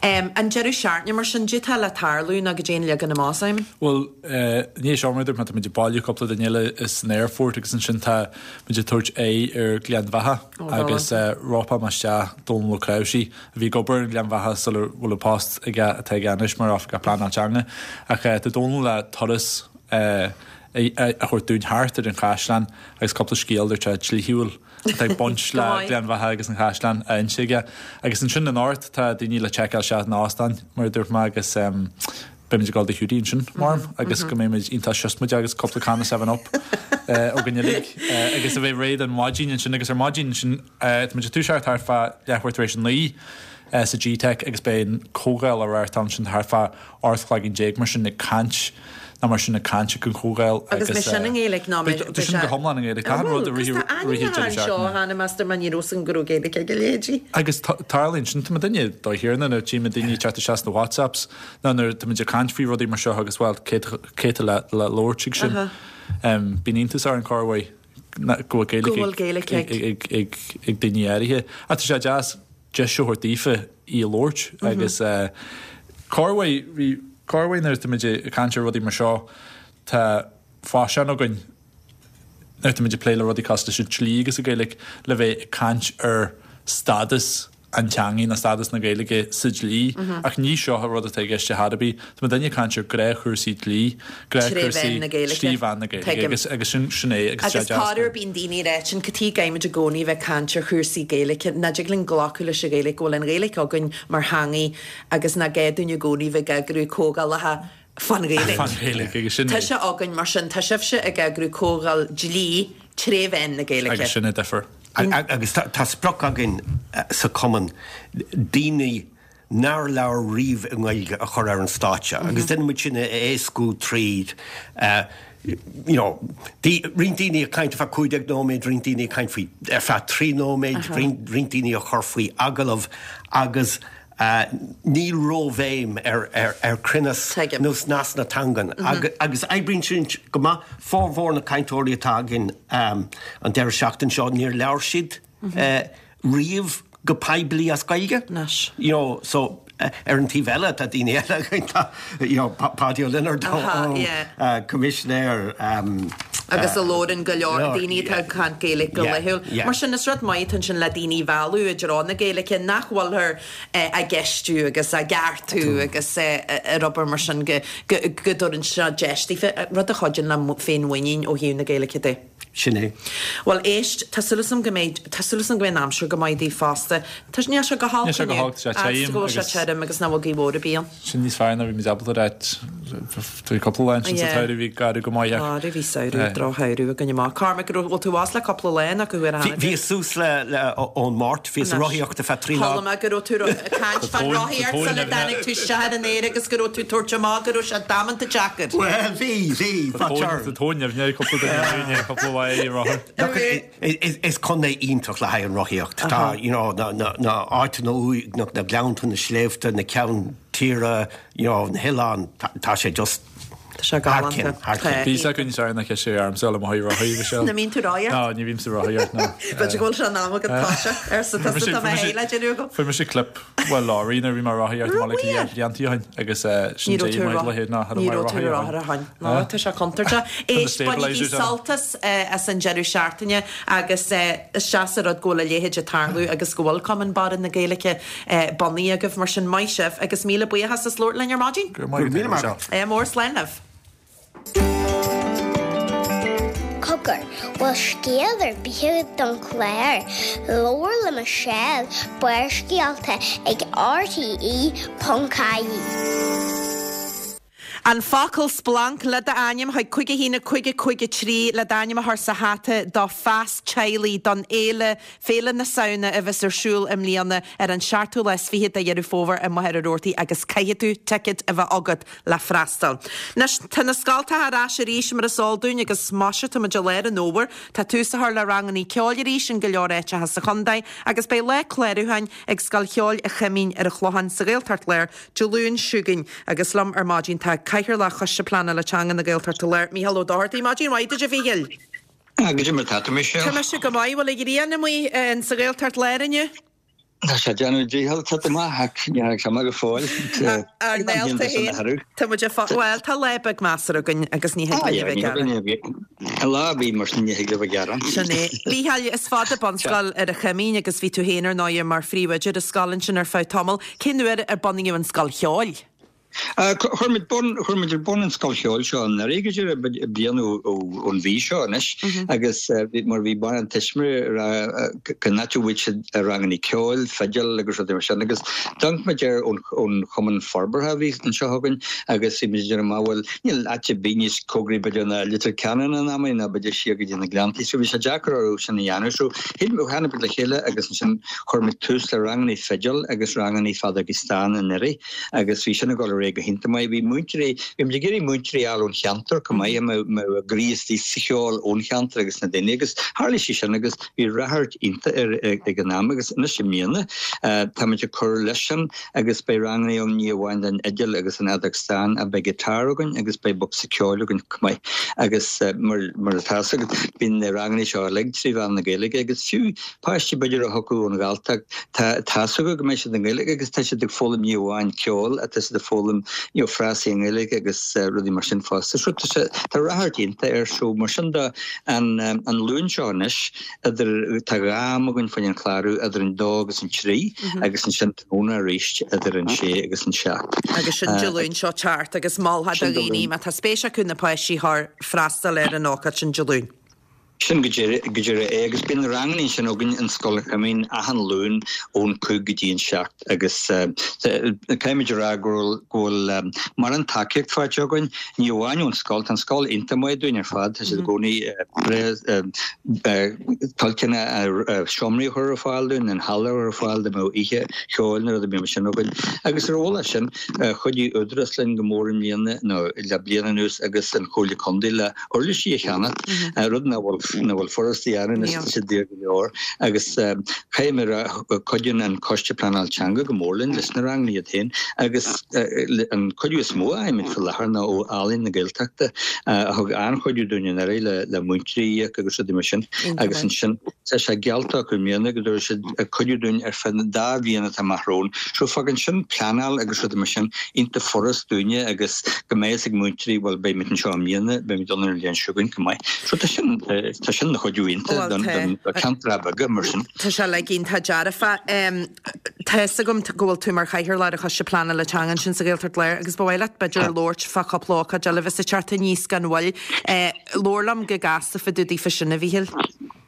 An deireadh seachtaine mar sin, goidé atá le tarlú nó goidé an leagan amach, Simon? Bhuel, i ndiaidh seo mar a dúirt mé, tá muid ag bailiú cúpla duine eile san aerfort agus ansin tá muid ag tabhairt aghaidh ar Ghleann Bheatha agus ropfaidh mé isteach Dónal Ó Cnáimhsí a bhí ag obair i nGleann Bheatha sula bhfuil an post aige atá aige anois mar Oifigeach Pleanála Teanga. Ach tá Dónal le turas a thabhairt dúinn thart ar an chaisleán agus cúpla scéal dúirt sé dlíthiúil atá ag baint le Gleann Bheatha agus an chaisleán a inse aige. Agus ansin anocht tá daoine le seiceáil isteach in óstán mar a dúirt mé agus beimid ag dul do Hiúdaí ansin, maram, agus go mbeimid iontach siosmaideach agus cúpla canna 7 Up againn uilig agus a bheith réidh don mhaidin ansin agus ar maidin ansin tá muid ag toiseacht thart fá leathuair tar éis a 9 sa GTeic agus beidh an comhdháil á reáchtáil ansin thart fá 18 cloigín mar sin ag caint nó mar sin ag caint ag an chomhdháil agus. Agus mbeidh sin i nGaeilge nó mbeidh. Tá sin go hiomlán i nGaeilge. Tá an rud a rith Agus tá ainmneacha anseo cheana meastar mar ní raibh fhios agam go raibh Gaeilge ag a leithéidí. Agus tarlaíonn sin, tá muid duine dá thiarna nuair a tchímid daoine ag teacht isteach sna WhatsApps nó nuair tá muid ag caint faoi rudaí mar seo agus bhuel cé atá le labhairt ag sin. Bíonn iontas orainn corruair go bhfuil Gaeilge ag daoine áirithe. Ach tá sé deas deis a thabhairt daofa í a labhairt agus corruair bhí corruair nuair atá muid ag caint ar rudaí mar seo tá faisean againn. nuair atá muid ag plé le rudaí cosúil leis an dlí agus an Ghaeilge, le bheith ag caint ar stádas an teangaidh nó stádas na Gaeilge sa dlí. Ach ní seo an rud atá i gceist ar chor ar bith. Tá muidinne ag caint ar ghnáthchúrsaí dlí, ghnáthchúrsaí trí mheán na Gaeilge agus agus sin sin é agus sé Agus corruair bíonn daoine ag ráit sin cad chuige a gcaithfimid i gcónaí bheith ag caint ar chúrsaí Gaeilge, nach dtig linn glacadh leis an Ghaeilge, go bhfuil an Ghaeilge againn mar theangaidh agus nach gá dúinn i gcónaí bheith ag eagrú comhdhálacha fán Ghaeilge. Fán Ghaeilge agus sin é. Tá sé againn, mar sin tá sibhse ag eagrú comhdháil dlí tré mheán na Gaeilge. Agus sin an difear. Agus tá sprioc againn sa Chumann daoine nár labhair riamh i nGaeilge a chur ar an stáitse agus déanann muid sin a éascú tríd you know roinnt daoine ag caint ar feadh 15 nóiméad, roinnt daoine ag caint faoi ar feadh 3 nóiméad, roinnt daoine a chur faoi agallamh agus Níl róbhéim ar chruinneas nó snas na teangan agus oibríonn sin go maith. Formhór na cainteoirí atá againn an deireadh seachtaine seo, níor labhair siad riamh go poiblí as Gaeilge. You know, so ar an taobh eile tá daoine eile againn, tá you know, Páidí Ó Lionáird, Coimisinéir, agus a labhrann go leor daoine atá ag caint Gaeilge go laethúil. Mar sin, is rud maith atá ansin le daoine a mhealladh i dtreo na Gaeilge nach bhfuilthear á gceistiú agus á gceartú agus ar obair mar sin go dtabharann sé deis daofa, rud a chuidíonn le féinmhuinín ó thaobh na Gaeilge de. Sin é. Bhuel, éist, tá súil agam go mbeidh, tá súil agam go mbeidh an aimsir go maith daoibh fosta. Tá, níl sé go holc Níl sé go inniu. holc, tá sé Fhad is tirim go bhfuil sé agus. tirim agus nach bhfuil gaoth mhór ar bith ann. Sin níos fearr ná bhí muid ábalta a ráit. Bhí cúpla lá ansin sa Yeah. tsamhradh bhí garbh go maith ach. Á, bhí samhradh, drochshamhradh againn amach. Cormac, raibh, bhfuil tú abhus le cúpla lá nó cá huair a Bhí, tháinig tú? bhíos suas le, le, ón Máirt, bhíos ag Anois. rothaíocht ar feadh 3 lá. Chuala mé go raibh tú ag caint Tá fán tóin, tá rothaíocht tóin sula ar na. dtáinig tú isteach ar an aer agus go raibh tú ag tabhairt amach go raibh sé damanta deacair. Bhuel, bhí, bhí, Tá but tóin, sure. tá tóin nimhne ag cúpla duine againn i cúpla lá ar rothar. Look, is contae iontach le haghaidh an rothaíocht. Tá, you know, na, na, na áiteanna uaigneach, na gleannta, na sléibhte, na ceann tíre, you know, na hoileáin, tá sé just Tá sé thar galánta. cionn, thar cionn. Bhí sé againn sár na ceiste ar armsa le mo thaobh rothaí, Michelle. An mbíonn tú ag rothaíocht? No, ní bhímse ag rothaíocht, no. B'fhéidir go bhfuil sé in am agat toiseacht, arsa tusa, tá mé féin le déanamh agam. Fuair mise clip bhuel lorry nuair a bhí mé ag rothaíocht i mBaile Átha Cliath blianta ó shin agus sin Ní raibh dé tú mar leithéid ná ní raibh tú ar rothar ó shin. No, tá sé contúirteach. Éist, bainigí sult as as an deireadh seachtaine agus is deas an rud go bhfuil a leithéid ag tarlú agus go bhfuil Cumann Barra na Gaeilge bunaithe agaibh. Mar sin, maith sibh agus míle buíochas as labhairt linn ar maidin. Go raibh maith agat, Michelle. Ádh mór, slán libh. Cogar, bhfuil scéal ar bith agat don chlár? Labhair le Michelle, Barrscéalta ag RTE.ie. An focal splanc le d'ainm chuig 5 1 5 5 3 le d'ainm a chur sa hata do phas teaghlaigh don fhéile, Féile na Samhna a bheas ar siúl i mbliana ar an seachtú lá is fichead de Dheireadh Fómhair i Machaire Rabhartaigh agus caithfidh tú ticéad a bheith agat le freastal. Anois, tá na scoltacha ar ais arís mar is eol dúinn agus maise tá muid i lár an fhómhair. Tá tús á chur le rangannaí ceoil arís in go leor áiteacha sa chontae agus beidh lá clárúcháin ag Scoil Cheoil an Choimín ar an Chlochán sa Ghaeltacht Láir Dé Luain seo chugainn agus liom ar maidin tá Cathaoirleach Choiste Pleanála Teanga na Gaeltachta Láir, Mícheál Ó Dochartaigh. Maidin mhaith duit a Mhíchíl. Goidé mar tá tú, Michelle? Tá mise go maith. Bhfuil an ghrian amuigh sa Ghaeltacht Láir inniu? Tá sé ag déanamh dícheall teacht amach ach ní thagann sé amach go fóill. Ár néalta féin. Tá muid ag fá, bhuel, tá lá beag measartha againn agus ní thig linn a bheith ag gearán. Lá ar bith mar sin ní thig libh a ghearán. Sin é. Mícheál, is fada bunscoil ar an Choimín agus bhí tú féin ar ndóigh mar phríomhoide ar an scoil ansin ar feadh tamaill. Cén uair ar bunaíodh an scoil cheoil? Chuir muid bun, chuir muid ar bun an scoil cheoil seo anuraidh go díreach, bliain ón mhí seo anois agus mar bhí mórán tuismitheoirí ag rá cá háit a bhfaighidh siad rangannaí ceoil, fidil agus rudaí mar sin agus d'amharc muid air ón Chumann Forbartha a bhí anseo againn agus bhí muid ag déanamh amach bhuel níl áit ar bith níos cóngaraí b'fhéidir ná Leitir Ceanainn in amannaí ná b'fhéidir siar go dtí na Gleanntaí so bhí sé deacair orthu sin a dhéanamh so tháinig muid le chéile agus ansin chuir muid tús le rangannaí fidil agus rangannaí feadógaí stáin anuraidh. agus bhí sin ag dul ar aghaidh go hiontach maith. Bhí múinteoirí, bhí muid ag iarraidh múinteoirí a fháil ón cheantar chomh maith, a mbeadh a gcroí istigh sa cheol ón cheantar agus na daoine agus tharlaigh sé sin agus bhí ráchairt iontach air ag an am agus anois i mbliana táimid ag cur leis sin agus beidh ranganna ann ní amháin don fhidil agus an fheadóg stáin ach beidh guitar againn agus beidh bocsa ceoil againn chomh maith agus mar mar atá fhios agat bíonn na ranganna seo uilig trí mheán na Gaeilge agus fiú Páistí b'fhéidir a thiocfadh ón Ghalltacht, tá tá 's acu go mbeidh siad i nGaeilge agus tá siad ag foghlaim ní amháin ceol ach tá siad ag foghlaim you know frásaí i nGaeilge agus rudaí mar sin fosta. So tá sé, tá ráchairt iontach air. So mar sin de, an an Luan seo anois, idir, tá dhá am againn fá choinne an clárú, idir an dó agus an trí agus ansin tráthnóna arís idir an sé agus an seacht. Agus sin Dé Luain seo ag teacht agus mholfá do dhaoine má tá spéis acu na páistí a chur freastal ar an ócáid sin Dé Luain. Sin go díreach é agus bíonn na ranganna sin againn in Scoil an Choimín achan Luan ón cúig go dtí an seacht agus caithfimid a rá go bhfuil mórán tacaíocht faighte againn, ní amháin ón scoil, tá an scoil iontach maith dúinn ar fad, tá siad i gcónaí toilteanach seomraí a chur ar fáil dúinn, an halla a chur ar fáil dá mbeadh oíche cheoil nó rud ar bith mar sin againn. Agus ar mhullach sin, chuidigh Údarás linn go mór i mbliana nó le bliain anuas agus an Chomhairle Contae le uirlisí a cheannacht, rud nach bhfuil nach bhfuil furasta a dhéanamh anois, tá sé daor go leor agus caithfidh mé a rá cuidíonn an Coiste Pleanáil Teanga go mór linn leis na ranganna iad féin agus an cuidiú is mó a fhaighimid faoi láthair ná ó Ealaín na Gaeltachta a thug an-chuidiú dúinn anuraidh le le múinteoirí a íoc agus rudaí mar sin agus ansin tá sé geallta acu i mbliana go dtabharfaidh siad cuidiú dúinn ar feadh na dá bhliain atá amach romhainn. So fágann sin pleanáil agus rudaí mar sin iontach furast dúinne agus go mbeidh fhios ag múinteoirí, bhuel beidh muid anseo i mbliana, beidh muid ann an bhliain seo chugainn chomh maith. So tá sin, tá sin ina chuidiú iontach don, don, do cheantracha beaga mar sin. Tá sé uilig iontach dearfa. Tá fhios agam go bhfuil tú mar chathaoirleach ar an Choiste Pleanála Teanga ansin sa Ghaeltacht Láir agus ba mhaith leat b'fhéidir labhairt fá chúpla ócáid eile a bheas ag teacht aníos gan mhoill. Labhair liom go gasta fá dtaobh daofa sin, a Mhíchíl.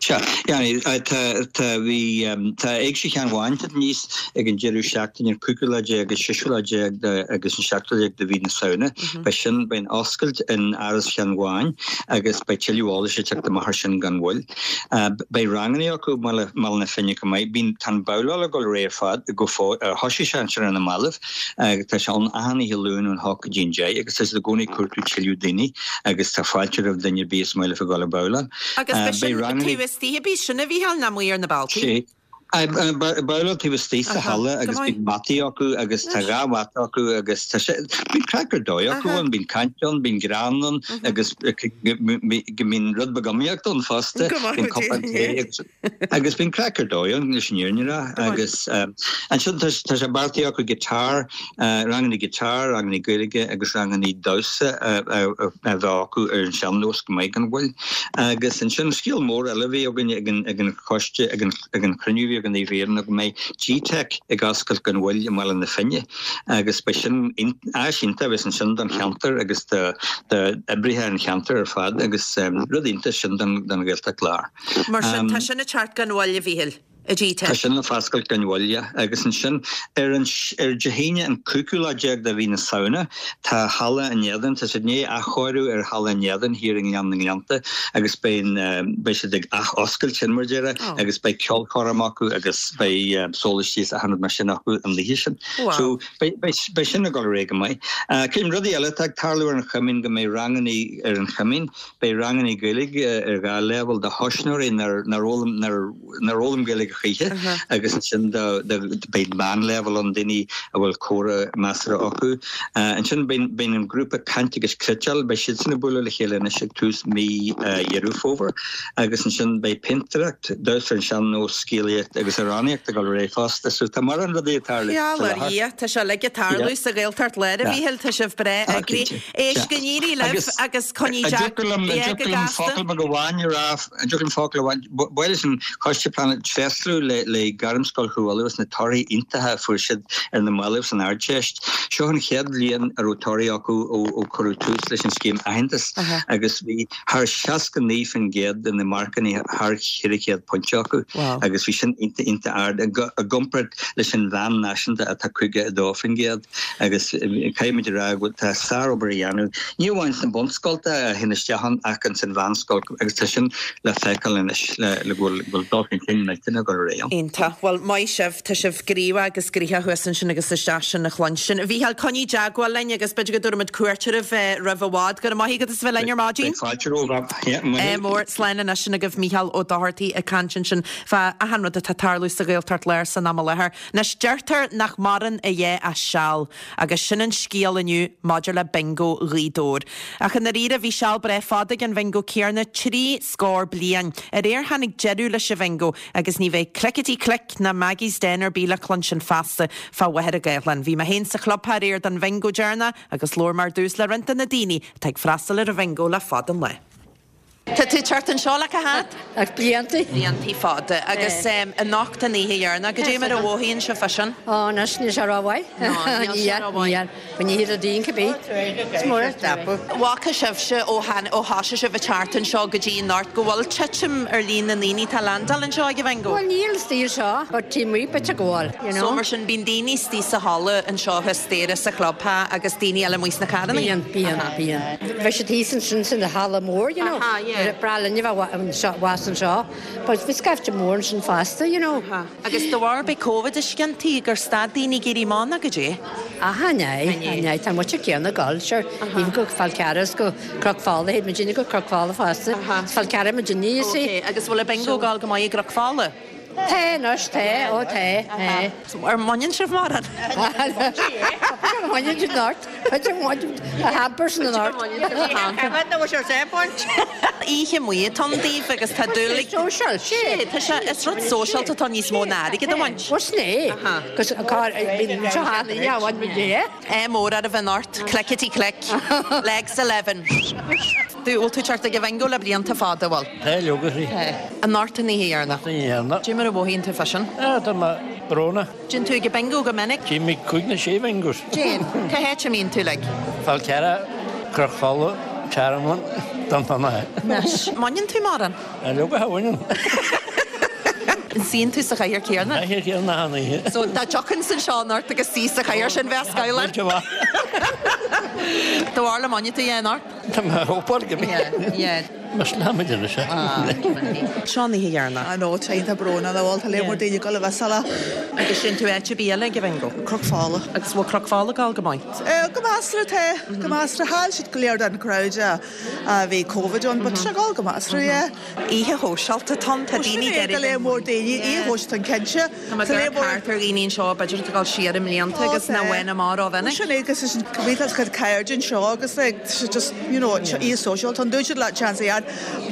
Sea, tá, tá, bhí, tá Éigse Sheán Bháin ag teacht aníos ag an deireadh seachtaine, an cúigiú lá déag, an seisiú lá déag de agus an seachtú lá déag de mhí na Samhna. Beidh sin, beidh an oscailt in Áras Sheáin Bháin agus beidh tuilleadh eolais ag teacht amach ar sin gan mhoill. Beidh ranganna acu i mBaile na Finne chomh maith. Bíonn, tá an babhláil ag dul ar aghaidh ar fad go fóill, thosaigh sé ansin ar na mallaibh. Tá sé ann achan oíche Luain ón hocht go dtí an deich agus tá siad i gcónaí ag cuartú tuilleadh daoine agus tá fáilte roimh duine ar bith is maith leofa dul ag babhláil. Agus beidh sin taobh istigh a bhí sin a Mhíchíl nó amuigh ar na bealtaí? Babhláil taobh istigh sa halla agus bíonn mataí acu agus tá dhá mhata acu agus tá sé, bíonn craic ar dóigh acu ann, bíonn caint ann, bíonn greann ann agus go mbíonn rud beag iomaíocht ann fosta, bíonn cupán tae agus agus bíonn craic ar dóigh ann leis an fhírinne a rá agus ansin tá sé beartaithe acu guitar Ranganna guitar, ranganna Gaeilge agus ranganna damhsa a bheith acu ar an sean-nós go maith gan mhoill. Agus ansin scéal mór eile a bhí againn ag an choiste, ag an chruinniú a bhí againn i Éirinn ná go mbeidh GTeic ag oscailt gan mhoill i mBaile na Finne agus beidh sin áis iontach a bheas ansin don cheantar agus d'oibrithe an cheantair ar fad agus rud iontach sin don Ghaeltacht Láir. Mar sin, tá sin ag teacht gan mhoill, a Mhíchíl. I GTeic. Tá sin le foscailt gan mhoill, yeah. Agus ansin, ar an, ar Dé hAoine an cúigiú lá déag de mhí na Samhna, tá Halla an Éadain, tá siad i ndiaidh athchóiriú ar Halla an Éadain thiar i nGleann na nGleannta agus beidh an, beidh siad ag ath-oscailt sin mar déarfá agus beidh ceolchoirm acu agus beidh sólaistí is achan rud mar sin acu an oíche sin. Wow. So, beidh, beidh, beidh sin ag dul ar aghaidh go maith. Cén rudaí eile atá ag tarlú ar an Choimín go mbeidh rangannaí ar an Choimín, beidh rangannaí Gaeilge ar dhá leibhéal do thosnóirí nár, nár fhoghlaim, nár, nár fhoghlaim Gaeilge choíche agus ansin beidh meánleibhéal ann, daoine a bhfuil comhrá measartha acu. Ansin beidh an grúpa Caint agus Cniotáil, beidh siadsan ag bualadh le chéile anois ag tús mí Dheireadh Fómhair agus ansin beidh péintéireacht, damhsa ar an sean-nós, scéalaíocht agus amhránaíocht ag dul ar aghaidh fosta. So tá mórán rudaí ag tarlú faoi láthair. Dhia, tá sé uilig ag tarlú sa Ghaeltacht Láir, a Mhíchíl, tá sibh breá eagraithe. Éist, go n-éirí libh agus coinnigh An dtiocfadh liom focal beag amháin a rá? An dtiocfadh liom focal amháin? Ba mhaith leis an Choiste Pleanála tréaslú le Gairmscoil Chú Uladh as na torthaí iontacha a fuair siad ar na mallaibh san Ardteist. Seo an chéad bhliain a raibh torthaí acu ó cuireadh tús leis an scéim aitheantais agus bhí thar 69% de na marcanna thar 400 pointe acu agus bhí sin iontach iontach ard i gcomparáid leis an mheán náisiúnta atá 52%. Agus caithfimid a rá go bhfuil tá sárobair á dhéanamh, ní amháin sna bunscolta a théann isteach ann ach ins an mheánscoil agus tá sin le feiceáil anois le go bhfuil dul chun cinn millteanach ag dul ar aghaidh ann. Iontach. Bhuel, maith sibh, tá sibh gníomhach agus gnoitheach thuas ansin agus is deas sin a chluinstin. A Mhícheáil, coinnigh i dteagmháil linn agus b'fhéidir go dtabharfaimid cuairt oraibh roimh i bhfad. Go raibh maith agat as a bheith linn ar maidin. Beidh fáilte romhat. Yeah, maith thú. Mór. Slán anois sin agaibh Mícheál Ó Dochartaigh ag caint ansin fá achan rud atá ag tarlú sa Ghaeltacht Láir san am i láthair. Anois, deirtear nach maireann a dhath ach seal, agus sin an scéal inniu maidir le Bingo Ghaoth Dobhair. Ach i ndáiríre, bhí seal breá fada ag an bhingo céarna, trí scór bliain. Aréir tháinig deireadh leis an bhingo, agus ní bheidh. bheidh clickety click ná Maggie's Den ar bith le cluinstin feasta fá Mhachaire Gathlán. Bhí mé féin sa chlubtheach aréir don bhingo deireanach agus labhair mé ar dtús le roinnt de na daoine atá ag freastal ar an bhingo le fada an lá. Tá tú ag teacht anseo le cá fhad? Blianta. Blianta fada. Agus anocht an oíche dheireanach, goidé mar a mhothaíonn sibh fá sin? Ó, anois níl sé rómhaith. No, níl sé rómhaith. Níl, ní hiad a daoine cibé. Is mór an scaipeadh. Bhfaca sibhse ó ó thosaigh sibh ag teacht anseo go dtí anocht go bhfuil titim ar líon na ndaoine atá ag landáil anseo ag an bhingo? Bhuel níl istigh anseo, but taobh amuigh bit ag gabháil, you know. So mar sin bíonn daoine istigh sa halla anseo thuas staighre sa chlubtheach agus daoine eile amuigh sna carranna? Bíonn, bíonn, bíonn. Bhí siad thíos ansin san halla mór, you know. Aha, yeah. Breá linn a bheith anseo, abhus anseo. But bhí scaifte mór ansin fosta, you know. Aha. Agus de bharr b'é Covid a sciontaí gur stad daoine ag éirí amach nó goidé? Aha, an ea, an ea. Tá muid céanna ag dul, sure. Even go Fál Carrach is go Cnoc Fola, théid muidinne go Cnoc Fola fosta. Aha. Is Fál Carrach muidinne, you see. Ok, agus bhfuil an bingo ag dul go maith i gCnoc Fola? Tá anois, tá, ó tá, tá. Ar mbaineann sibh mórán? Baineann siad neart. A hampers na neart. Oíche amuigh atá ann daoibh agus tá dúil ag. Social, sé. Tá sé, is rud sóisialta atá níos mó ná airgead a bhaint. Bhuel sin é. Agus cá, bíonn seo cheana, yeah, bhain muid é. Ádh mór oraibh anocht, clickety click, legs 11. Do, bhfuil tú ag teacht ag an bhingo le blianta fada, bhfuil? Tá, leoga, sí. Anocht an oíche dheireanach. An oíche dheireanach. Goidé mar a mhothaíonn tú fá sin? Ah, tá mé brónach. Téann tú ag an bingo go minic? Téim ag cúig nó sé bhingos. Téann. Cá háit a mbíonn tú like? Fál Carrach, Cnoc Fola, Tearmann, Dún Fionnachaidh. Anois, mbaineann tú mórán? Ah, leoga, cha bhaineann. An suíonn tú sa chathaoir céanna? Sa chathaoir chéanna achan oíche. So, dá dtiocfainnse anseo anocht agus suí sa chathaoir sin, bheadh scamhán. Buailte amach. Do bharúil an mbainfidh tú é anocht? Tá mé ag hópáil go mbeidh. Yeah, yeah. Más leanfaimid anois é. Seo an oíche dheireanach. I know, tá iontach brónach, bhuel, tá léar mór daoine ag dul a bheith sala. Agus téann tú áit ar bith eile ag an bhingo? Cnoc Fola. Agus bhfuil Cnoc Fola ag dul go maith? Go measartha, tá. Go measartha. Chaill siad go léir den crowd a bhí Covid ann, but tá sé ag dul go measartha, yeah. Oíche shóisialta atá ann, tá daoine ag iarraidh. Tá léar mór daoine, oíche shóisialta ann cinnte. Tá mé ag amharc thart ar dhaoine anseo b'fhéidir atá ag dul siar i mblianta agus nach bhfuil amach rómhinic. Sin é agus is bhí tá cuid cairde anseo agus like just you know oíche sóisialta ann dúirt siad le chance a dhead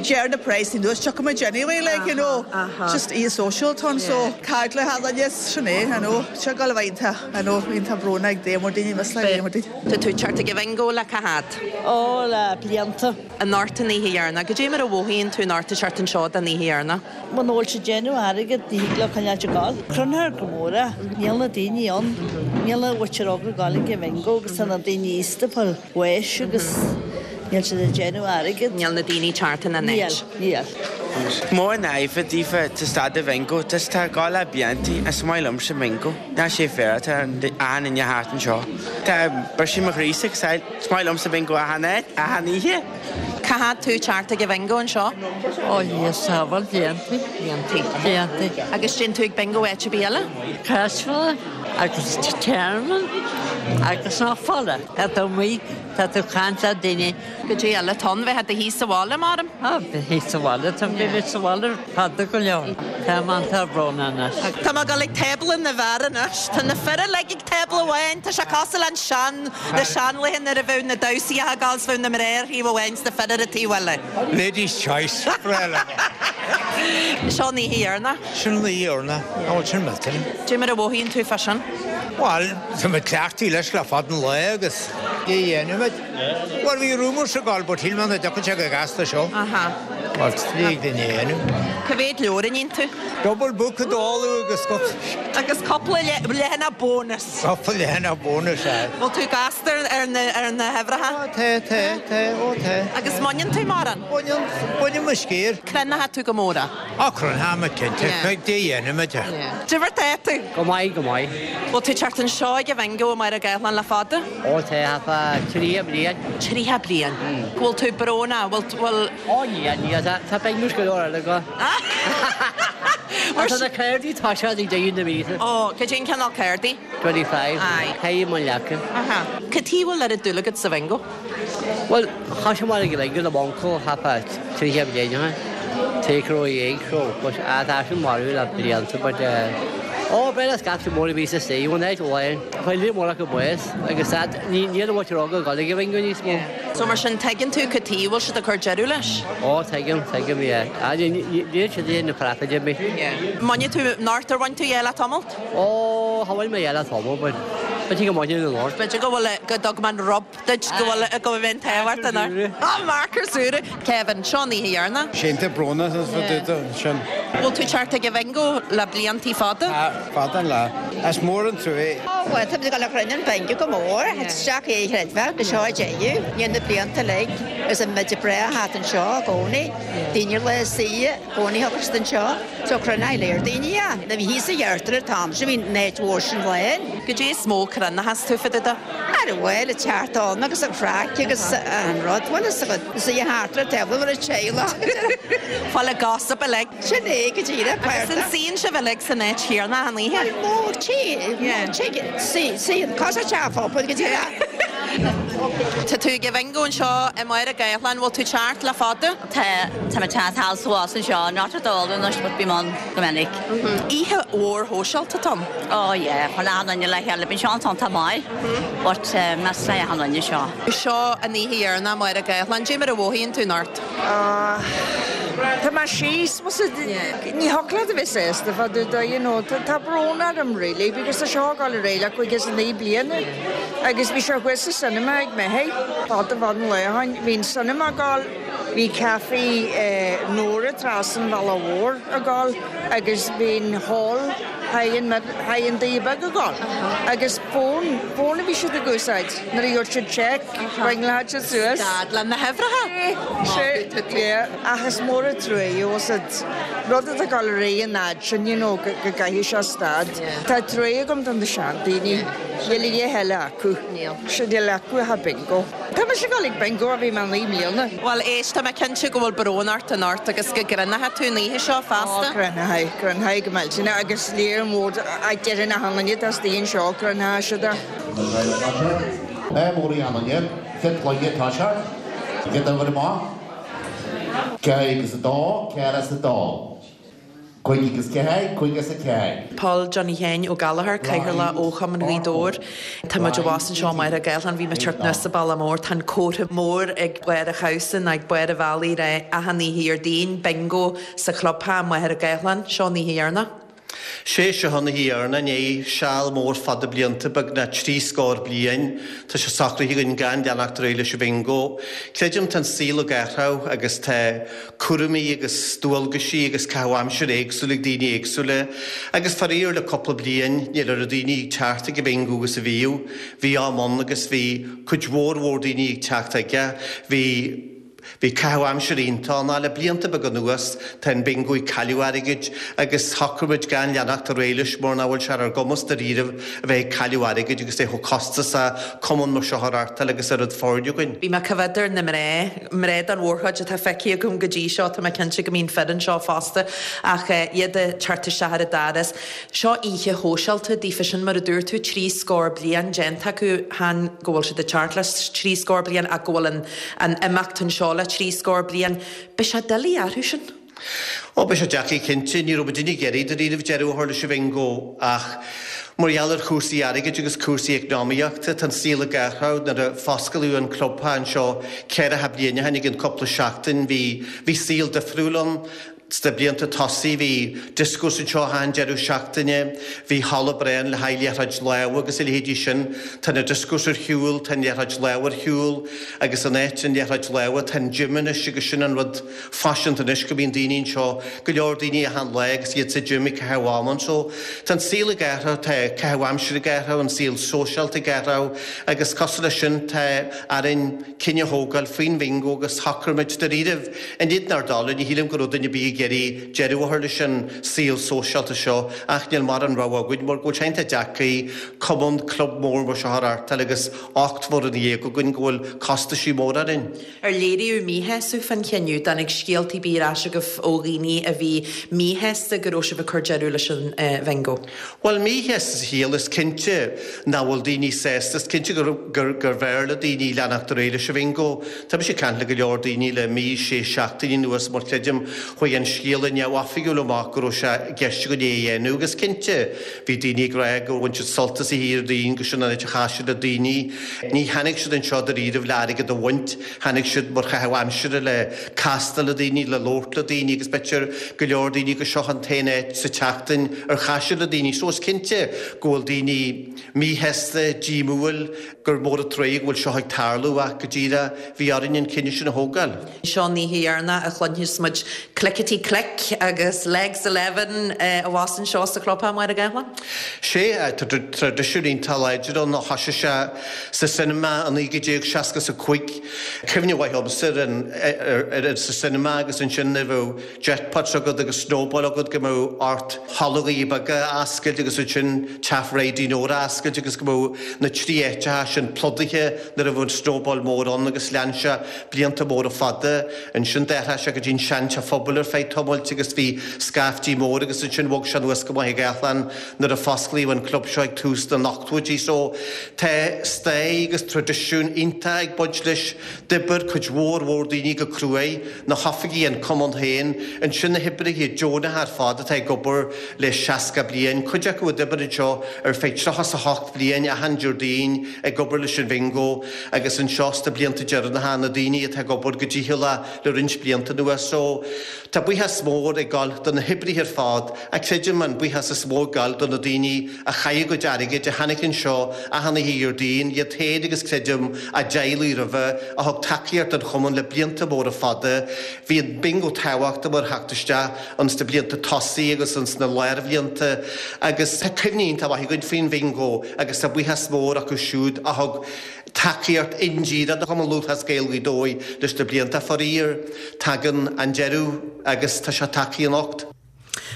deir na praghsanna anuas tiocfaidh muid anyway like you know just oíche sóisialta ann so cairde le hAlan yes sin é I know seo ag dul a bheith iontach I know iontach brónach ag léar mór daoine miss like léar mór daoine. Tá tú ag teacht ag an bhingo le cá fhad? Ó le blianta. Anocht an oíche dheireanach. Goidé mar a mhothaíonn tú anocht ag teacht anseo don oíche dheireanach? Muna bhfuil siad ag déanamh airgead ní thig leo coinneáil ag gabháil. Crunthar go mór é. Níl na daoine ann. Níl an mhuintir óg ag gabháil ag an bhingo agus tá na daoine aosta ag fáil bháis agus níl siad ag déanamh airgead. Níl na daoine ag teacht ina n-áit. Níl, níl. Mór an aoibhe daofa tá stad de bhingo, tá tá ag gabháil le blianta is maith liomsa bingo. Ná sé féar atá achan duine thart anseo. Tá briseadh mo chroí sa Is maith liomsa bingo achan áit, achan oíche. Cá fhad tú ag teacht ag an bhingo anseo? Ó Dhia sábháil, blianta. Blianta. Blianta. Agus téann tú ag bingo áit ar bith eile? Crossville agus Tearmann agus Cnoc Fola. Tá tú amuigh, tá tú ag caint le daoine. Goidé eile atá ann, bheith i do shuí sa bhaile, maram? Á, bheith thíos sa bhaile, tá mé bheith sa bhaile fada go leor. Tá mé iontach brónach anois. Tá mé ag dul ag tábla na bhfear anois. Tá na fir uilig ag tábla amháin. Tá sé cosúil le an sean, na seanlaethe nuair a bheadh na damhsaí ag gabháil 's bheadh na mná ar thaobh amháin 's na fir ar an taobh eile. Ladies choice, breá liom. Seo an oíche dheireanach. Sin an oíche dheireanach. An bhfuil sin millte? Dé mar a mhothaíonn tú fá sin? Bhuel, tá mé cleachtaithe leis le fada an lá agus cé a dhéanfaimid? Bhuel, bhí rumours ag gabháil but shíl mé nach dtiocfadh sé go gasta seo. Aha. Bhuel, lig duine a dhéanamh. Cá mhéad leabhar a níonn tú? Double book a dáileadh agus Agus cúpla leathanach bónus. Cúpla leathanach bónus, aye. Bhfuil tú gasta ar na ar na huimhreacha? Ó tá, tá, tá, ó tá. Agus mbaineann tú mórán? Baineann, baineann mo sciar. Cruinneoidh tú go mór é? Á, cruinneoidh mé cinnte. Beidh dé dhéanfaimid é. Dé mar tá tú? Go maith, go maith. Bhfuil tú ag teacht anseo ag an bhingo i Machaire Gathlán le fada? Ó tá, fá 30 bliain. 30 bliain. Go bhfuil tú brónach, bhfuil, bhfuil. Ó níl, níl, tá, tá bingos go leor eile go. Mar tá na cárdaí tá sé ag deireadh na míosa. Ó, cad é an cineál cárdaí? 25. Aye. Caithfidh mo leaca. Aha. Cad chuige a bhfuil oiread dúil agat sa bhingo? Bhuel, thosaigh mé ag an bingo le m'uncail thart fá 30 bliain ó shin. Take row a éag so, but tá sin marbh le blianta but eh. Ó, b'fhéidir scaifte mór a bhí istigh one night amháin. Chuir líon mór acu bás agus that ní níl an mhuintir óg ag dul ag an bhingo níos mó. So mar sin tuigeann tú cad tuige a bhfuil siad ag cur deireadh leis? Ó tuigim, tuigim, yeah. Ah ní níl siad ag déanamh profit ar bith. Yeah. Mbainfidh tú anocht ar bhain tú dhe le tamalt? Ó, cha bhain mé dhe le tamall but b'fhéidir go mbainfinn anocht. B'fhéidir go bhfuil go dtug mé an rub duit go bhfuil go bhfuil an t-ádh ort anocht. Ah marc ar súile! Kevin, seo an oíche dheireanach. Sínte brónach is fá dtaobh de sin. Bhfuil tú ag teacht ag an bhingo le bliantaí fada? Tá, fada an lá. Is mór an trua é. Ó, bhuel, tá muid ag dul a chruinniú an bingo go mór, isteach é a chreidbheá, go seo a deireadh, níl na blianta uilig, agus an muid breá thart anseo i gcónaí, daoine le suí i gcónaí thug siad anseo, so cruinneoidh léir daoine é. Nuair a bhí thíos sa ghearrtar an t-am sin, bhí an áit mhór sin lán. Goidé is mó cruinneachas tú fá dtaobh de? Ara bhuel, an teacht ann agus an chraic agus an rud, bhuel is agat, is í a thart ar taobh le teaghlach. Fáil ag gossip uilig. Sin é go díreach, Agus an suíonn sibh uilig san áit chéanna achan oíche? Bhuel, nó tí, nó tigh, suí, suíonn, cos ar teach phobal go díreach. Tá tú ag an bhingo anseo i Machaire Gathlán, bhfuil tú ag teacht le fada? Tá, tá mé ag teacht suas anseo, not at all anois but bím ann go minic. Oíche mhór shóisialta atá ann. Oh yeah, chun achan duine le chéile, bíonn seo an-iontach maith but meas le achan duine seo. Seo an oíche dheireanach i Machaire Gathlán, cad é mar a mhothaíonn tú anocht? Ah, tá mé síos, bhfuil 's a'd, ní thiocfadh leat a bheith sásta fá dtaobh de, you know, tá brón orm really because tá seo ag dul ar aghaidh le 59 bliana agus bhí sé thuas sa cinema ag Micheál, fada fada an lá ó shin, bhí an cinema ag dul, Bhí caife Nóra trasna an bhealaigh mhóir ag dul agus bhí an hall thigh an Daoi Beag ag dul agus fón, fón a bhí siad ag úsáid nuair a gheobhadh siad cheque, ringeálfadh siad suas. Stad le na huimhreacha! Sea, yeah, ach is mór an trua, bhfuil 's a'd, rud atá ag dul ar aghaidh an fhad sin, you know, go gcaithfidh sé stad. Tá trua agam do na seandaoine, níl a dhath eile acu. Níl. Níl acu ach bingo. Tá mise ag dul ag bingo ó bhí mé 9 mbliana. Bhuel, éist, tá mé cinnte go bhfuil brón ort anocht agus go gcruinneoidh tú an oíche seo feasta. Ó, cruinneoidh, cruinneoidh go millteanach agus léir mór déarfainn achan duine atá istigh anseo, cruinneoidh siad é. Ádh mór a dhéanamh air, chéad chluiche atá sé, chéad uimhir amach, 4 agus 2, 4 as 2. 5 agus 4, 5 as 4. Paul Johnny Sheáin Ó Gallchóir, Cathaoirleach ó Chumann Ghaoth Dobhair. Tá muid abhus anseo i Machaire Gathlán, bhí mé ag teacht anuas an bealach mór, tá an comhartha mór ag barr an chabhsa nó ag barr an bhealaigh ag rá achan oíche Dhéardaoin, bingo sa chlubtheach i Machaire Gathlán. Seo an oíche dheireanach. Sé seo an oíche dheireanach i ndiaidh seal mór fada blianta, beagnach 30 scór bliain. Tá sé socraithe againn gan leanacht ar aghaidh leis an bhingo. Creidim tá an saol ag athrú agus tá cúraimí agus dualgaisí agus caitheamh aimsire éagsúil ag daoine éagsúla agus faraor le cúpla bliain níl oiread daoine ag teacht ag an bhingo agus a bhíodh. Bhí am ann agus bhí cuid mhór mhór daoine ag teacht aige. Bhí bhí caitheamh aimsire iontach ann ach le blianta beaga anuas tá an bingo ag cailleadh airgid agus shocraigh muid gan leanacht ar aghaidh leis mar nach bhfuil sé ar ár gcumas dáiríribh a bheith ag cailleadh airgid agus é chomh costasach cumann mar seo a reáchtáil agus oiread foirne againn. Bhí mé ag coimhéad ar na mná, mná den mhórchuid atá feicthe agam go dtí seo, tá mé cinnte go mbíonn fir anseo fosta, ach iad ag teacht isteach ar an doras. Seo oíche shóisialta daofa, sin mar a dúirt tú, 30 scór bliain déanta acu, chan go bhfuil siad ag teacht le 30 scór bliain ach go bhfuil an an imeacht anseo le 30 scór bliain. Beidh sé doiligh orthu sin. Ó, beidh sé deacair cinnte. Ní raibh muidinne ag iarraidh dáiríribh deireadh a chur leis an bhingo ach mar gheall ar chúrsaí airgid agus cúrsaí eacnamaíochta, tá an saol ag athrú. Nuair a fosclaíodh an clubtheach anseo ceathracha bliain ó shin i gcionn cúpla seachtain bhí bhí saol difriúil ann. Sna blianta tosaigh bhí dioscós anseo achan deireadh seachtaine, bhí halla breá ann le haghaidh liathróid láimhe agus a leithéidí sin. Tá na dioscós ar shiúl, tá an liathróid láimhe ar shiúl agus in áit an liathróid láimhe tá an gym anois agus sin an rud faiseanta anois go mbíonn daoine anseo, go leor daoine achan lá agus iad sa gym ag caitheamh ama. So tá an saol ag athrú, tá caitheamh aimsire ag athrú, an saol sóisialta ag athrú agus cosúil leis sin tá orainn cinneadh a thógáil faoin bhingo agus shocraigh muid dáiríribh in éadan ár dtola, ní shílim go raibh duine ar bith ag iarraidh deireadh a chur leis an saol sóisialta seo ach níl mórán rogha againn mar go bhfuil sé iontach deacair cumann, club mór mar seo a reáchtáil agus 18 bhfoireann againn go bhfuil costaisí móra orainn. Ar léiríodh míshásamh fán chinneadh? Dtáinig scéalta ar bith ar ais agaibh ó dhaoine a bhí míshásta go raibh sibh ag cur deireadh leis an bhingo? Bhuel, míshásta sa chiall, is cinnte nach bhfuil daoine sásta, is cinnte gurbh fhearr le daoine leanacht ar aghaidh leis an bhingo. Tá mise ag caint le go leor daoine le mí, sé seachtainí anuas mar creidim chuaigh an. scéala neamhoifigiúil amach go raibh sé i gceist againn é a dhéanamh agus cinnte bhí daoine ag rá gur bhain siad sult as oíche Dhéardaoin go sin an áit a chas siad le daoine. Ní tháinig siad anseo dáiríribh le airgead a bhaint, tháinig siad mar chaitheamh aimsire le castáil le daoine, le labhairt le daoine agus b'fhéidir go leor daoine go seo an t-aon áit sa tseachtain ar chas siad le daoine. So is cinnte go bhfuil daoine míshásta, díomúil gur mór an truaighe go bhfuil seo ag tarlú ach go díreach bhí orainn an cinneadh sin a thógáil. Seo an oíche dheireanach a chluinfeas muid Clickety Click agus Legs 11 abhus anseo sa chlubtheach, Máire Gáthlán. Sea, tá traidisiún iontach láidir ann ó thoisigh sé sa cinema i 1965. Cuimhne mhaith agamsa ar an ar sa cinema agus ansin nuair a bheadh jackpots agat agus snowball agat go mbeadh ort hallógaí beaga a oscailt agus ansin teach Bhridie Nóra a oscailt agus go mbeadh na trí áiteacha sin plódaithe nuair a bheadh an snowball mór ann agus lean sé blianta móra fada. Ansin d'athraigh sé go dtí an seanteach phobail ar feadh tamailt agus bhí scaiftí mór agus ansin bhog sé anuas go Machaire Gathlán nuair a fosclaíodh an club seo ag tús na n-ochtóidí. So tá stair agus traidisiún iontach ag baint leis. D'oibir cuid mhór mhór daoine go cruaidh, na hoifigigh, an cumann féin, ansin na hoibrithe deonacha ar fad atá ag obair le 60 bliain, cuid acu a d'oibir anseo ar feadh 38 bliain achan Déardaoin ag obair leis an bhingo agus anseo sna blianta deireanacha na daoine atá ag obair go dícheallach le roinnt blianta anuas. So, tá buíochas mór ag dul do na hoibrithe ar fad ach creidim an buíochas is mó ag dul do na daoine a chaith a gcuid airgid, a tháinig anseo achan oíche Dhéardaoin, iad féin agus creidim a dteaghlaigh roimhe, a thug tacaíocht don chumann le blianta móra fada. Bhí an bingo tábhachtach mar theacht isteach ins na blianta tosaigh agus ins na lárbhlianta agus tá cuimhní iontach maith againn faoin bhingo agus tá buíochas mór acu siúd a thug tacaíocht indíreach do Chumann Lúthchleas Gael Ghaoth Dobhair leis na blianta. Faraor, tagann an deireadh agus tá sé tagtha anocht.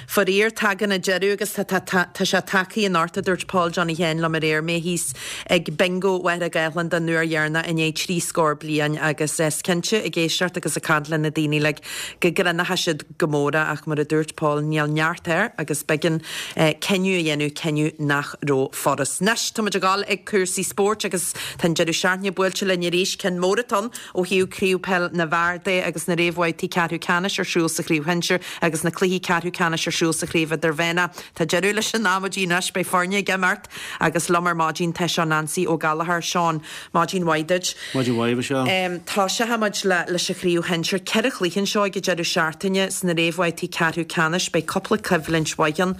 Faraor, tagann an deireadh agus tá, tá, tá, tá sé tagtha anocht, a dúirt Paul Johnny Sheáin liom aréir, mé thíos ag Bingo Mhachaire Gathlán den uair dheireanach i ndiaidh trí scór bliain agus is cinnte, ag éisteacht agus ag caint le na daoine uilig, go gcronóidh siad go mór é ach mar a dúirt Paul, níl neart air agus b'éigean cinneadh a dhéanamh, cinneadh nach raibh furast. Anois, tá muid ag dul ag cúrsaí spóirt agus tá an deireadh seachtaine buailte linn arís, ceann mór atá ann. Ó thaobh Craobh Peil na bhFear de agus na réamhbhabhtaí ceathrú ceannais ar siúl sa chraobh shinsir agus na cluichí ceathrú ceannais ar siúl sa chraobh idirmheánach. Tá deireadh leis an amaidí anois, beidh foirne ag imeacht agus liom ar maidin tá Seán Ansaí Ó Gallchóir. Seán, maidin mhaith duit. Maidin mhaith, Michelle. Tosóidh muid leis an chraobh shinsir. Ceithre chluiche anseo ag an deireadh seachtaine sna réamhbhabhtaí ceathrú ceannais. Beidh cúpla coimhlint mhaith ann.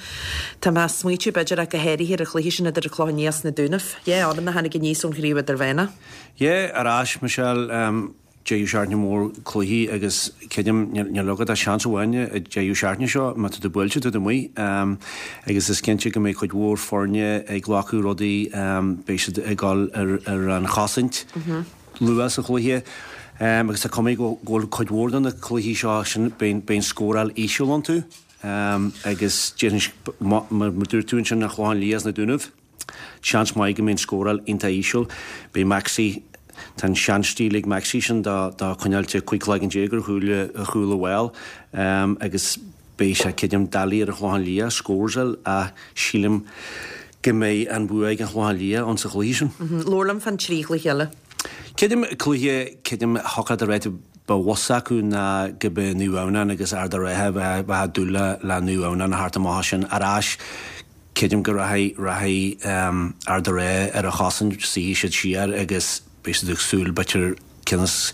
Tá mé ag smaoitiú b'fhéidir ach go háirithe ar an chluiche sin idir an Clochán Liath is na Dúnaibh. Yeah, fhoireann a tháinig aníos ón chraobh idirmheánach. Yeah, ar ais, Michelle, deireadh seachtaine mór cluichí agus creidim, níl agat ach seans amháin an deireadh seachtaine seo, má tá tú buailte, tá tú amuigh. Agus is cinnte go mbeidh cuid mhór foirne ag glacadh rudaí, beidh siad ag dul ar an chosaint luath sa chluiche agus tá cuma go bhfuil cuid mhór de na cluichí seo sin, beidh an scóráil íseal iontu agus déarfainn, mar a dúirt tú ansin, an Clochán Liath is na Dúnaibh. Seans maith go mbeidh an scóráil iontach íseal. Beidh Maxi, tá an seanstíl ag Maxi sin do coinneáil 15 cloigeann ar chúl ar chúl a bhfáil agus beidh sé creidim doiligh ar an Chlochán Liath scores a fháil ach sílim go mbeidh an bua ag an Chlochán Liath ann sa chluiche sin. Labhair liom fán trí chluiche eile. Creidim cluiche, creidim thiocfadh de réir ba mheasa acu ná go mbeidh Naomh Adhamhnáin agus Ard an Rátha bheadh ag dúil le Naomh Adhamhnáin a theacht amach as sin ar ais. Creidim go rachaidh, rachaidh Ard an Rátha ar an chosaint, suífidh siad siar agus beidh siad ag súil b'fhéidir cionn is,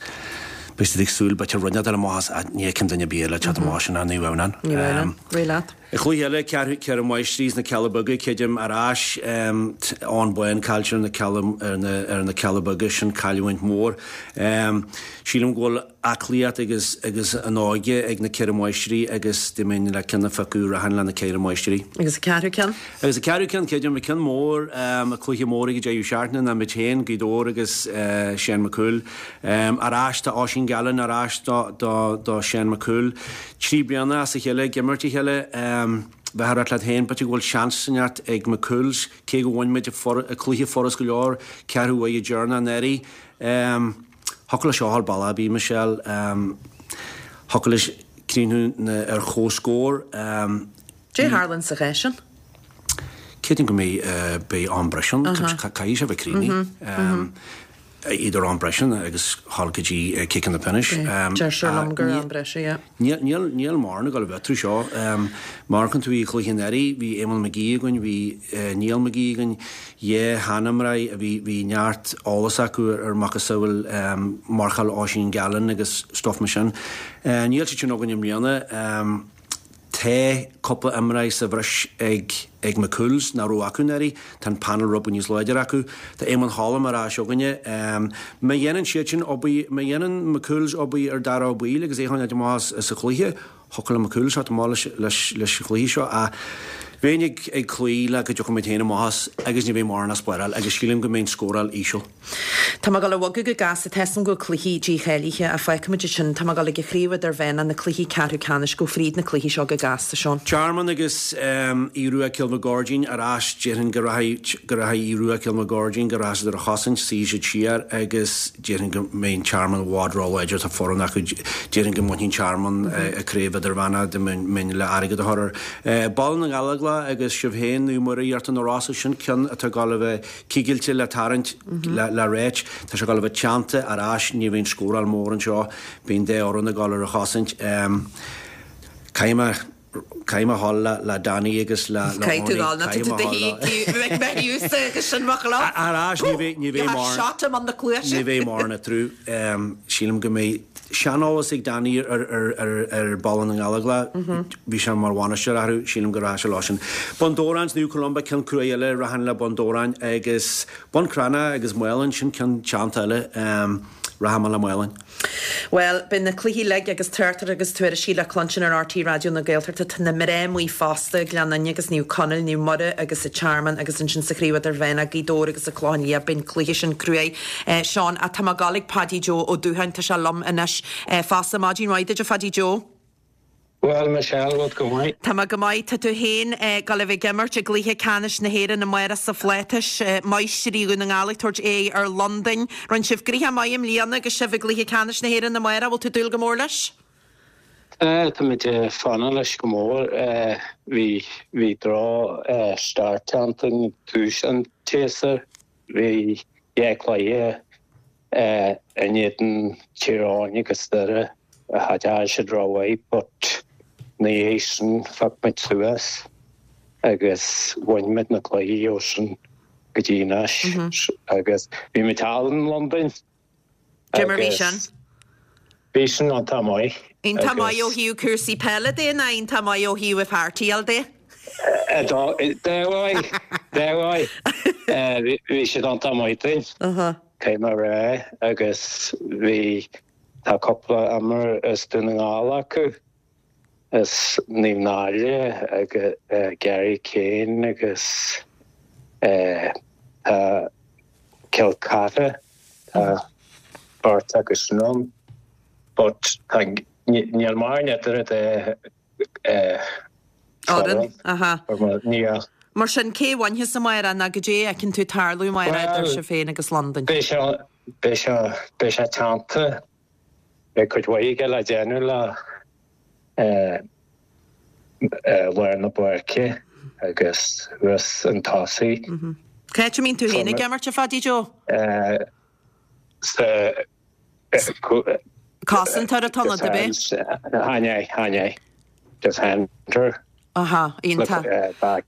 beidh siad ag súil b'fhéidir rud inteacht amach as, ní fheicim duine ar bith eile ag teacht amach sin ach Naomh Adhamhnáin. Naomh Adhamhnáin, réidh leat. An chluiche eile, Ceathrú, Ceithre Máistrí is na Cealla Beaga, creidim, ar ais, Eoghan Bán caillte ar na Cealla, ar na, ar na Cealla Beaga, sin cailliúint mhór. Sílim go bhfuil. aclaíocht agus agus an óige ag na Ceithre Máistrí agus dá mbeinn le ceann a phiocadh rachainn le na Ceithre Máistrí. Agus an ceathrú ceann? Agus an ceathrú ceann, creidim, an ceann mór, an cluiche mór ag an deireadh seachtaine ná muid féin, Gaoth Dobhair agus Seán Mac Cumhaill. Ar ais tá Oisín Gallen ar ais do do do Seán Mac Cumhaill. Trí bliana as a chéile ag imirt a chéile. Bheifeá ag rá leat féin, b'fhéidir go bhfuil seans inteacht ag McCool's, cé go bhain muid an cluiche furast go leor, ceathrú uaidh deireanach anuraidh. Thiocfadh leis seo a dhul bealach ar bith, Michelle. Thiocfadh leis críochnú ar comhscór. Cad é a tharlaíonn sa chás sin? Creidim go mbeidh, beidh am breise ann. Caithfidh sé bheith críochnaithe. Iad ar am breise agus thall go dtí ciceanna pionóis. Deir sé liom gur am breise, yeah. Níl, níl, níl mórán ag dul a bheith trú seo. Má amharcann tú i chluiche anuraidh, bhí Éamonn McGee againn, bhí Niall McGee againn, dhá sheanimreoir a bhí, bhí neart eolas acu ar macasamhail marcáil Oisín Gallen agus stuff mar sin. Níl siad sin againn i mbliana. Tá cúpla imreoir sa bhreis ag ag McCool's nach raibh acu anuraidh. Tá an panel rud beag níos láidre acu. Tá Éamonn Holm ar ais againne. Má dhéanann siad sin obair, má dhéanann McCool's obair ar Dara Ó Baoill agus é a choinneáil amach as an chluiche, thiocfadh le McCool's teacht amach leis leis leis an chluiche seo. Ach bheinn ag ag cloí le go dtiocfaidh muid féin amach as agus ní bheidh mórán á spáráil agus sílim go mbeidh an scóráil íseal. Tá mé ag dul a bhogadh go gasta, tá 'fhios a'm go bhfuil cluichí dícháilithe ach fágfaimid ansin, tá mé ag dul ag an chraobh idirmheánach, na cluichí ceathrú ceannais, gabh fríd na cluichí seo go gasta, Seán. Tearmann agus Aodh Rua Cill na Goirdín ar ais, déarfainn go rachaidh go rachaidh Aodh Rua Cill na Goirdín go rachaidh siad ar a chosaint, suífidh siad siar agus déarfainn go mbeidh an Tearmann i bhfad róláidir, tá foireann acu, déarfainn go mbainfidh an Tearmann an craobh idirmheánach dá mbeinn le airgead a chur air. Baile na nGallóglach agus sibh féin, Naomh Muire Iarta na Rosa, sin ceann atá ag dul a bheith Cigilte le tarraingt le ráit. Tá sé ag dul a bheith teannta ar ais, ní bheidh an scóráil mór anseo, beidh an dá fhoireann ag dul ar a chosaint. Caithfidh mé, caithfidh mé a dhul le Danny agus le le Caithfidh tú dhul, nó tá tú do shuí ag Matthews agus sin mo chlub. Ar ais, ní bheidh, ní bheidh mórán, shot him on the cluaise. ní bheidh mórán eatarthu. Sílim go mbeidh seaneolas ag Danny ar ar ar ar Baile na nGallóglach. Bhí sé mar bhainisteoir orthu, sílim go rachaidh sé leo sin. Bun Dobhráin, Naomh Columba, ceann cruaidh eile, rachainn le Bun Dobhráin agus Bun Cranncha agus Maolainn, sin ceann teannta eile, rachaidh mé le Maolainn. Bhuel, beidh na cluichí uilig agus tráchtaireacht agus tuairiscí le cluinstin ar RTÉ Raidió na Gaeltachta. Tá na mná amuigh fosta, Gleann Fhinne agus Naomh Conaill, Naomh Muire agus an Tearmann agus ansin sa Chraobh Idirmheánach, Gaoth Dobhair agus an Clochán Liath. Beidh an cluiche sin cruaidh. Seán, ach tá mé ag dul ag Paddy Joe Ó Dúcháin, tá sé liom anois fosta. Maidin mhaith duit a Phaddy Joe. Bhuel, Michelle, bhfuil tú go maith? Tá mé go maith. Tá tú féin ag dul a bheith ag imirt i gcluiche ceannais na hÉireann amárach sa Phlátais. Máistrí Dhún na nGall ag tabhairt aghaidh ar Londain. Rinne sibh gnoithe maith i mbliana agus sibh i gcluiche ceannais na hÉireann amárach. Bhfuil tú ag dúil go mór leis? Tá, táimid ag fanacht leis go mór. Bhí, bhí droch start againn tús an tséasúir. Bhí dhá chluiche in éadan Tír Eoghain agus Doire a d'fhan siad rómhaith but ina dhiaidh sin phioc muid suas agus bhain muid na cluichí ó sin go dtí anois agus bhí muid thall in Londain Cé mar bhí sin? Bhí sin iontach maith. Iontach maith ó thaobh cúrsaí peile de nó iontach maith ó thaobh an pháirtíáil de? Dá mhaith, dá mhaith. Bhí siad iontach maith dúinn, caithfidh mé a rá, agus bhí, tá cúpla imreoir as Dún na nGall acu, as Naomh Náille agus Gary Kane agus tá Cill Chartha, tá beirt acu sin ann but tá, níl mórán idir an dá fhoireann. Aha. Níl. Mar sin, cé a bhainfeas amárach nó goidé a fheiceann tú tarlú amárach idir sibh féin agus Londain? Beidh sé, beidh sé, beidh sé teannta. Beidh cuid mhaith aige le déanamh le lár na páirce agus thuas chun tosaigh. Cá háit a mbíonn tú féin ag imirt, a Phaddy Joe? Sa. Cosantóir atá ionat, ab é? Chan ea, chan ea. Defender. Aha, iontach.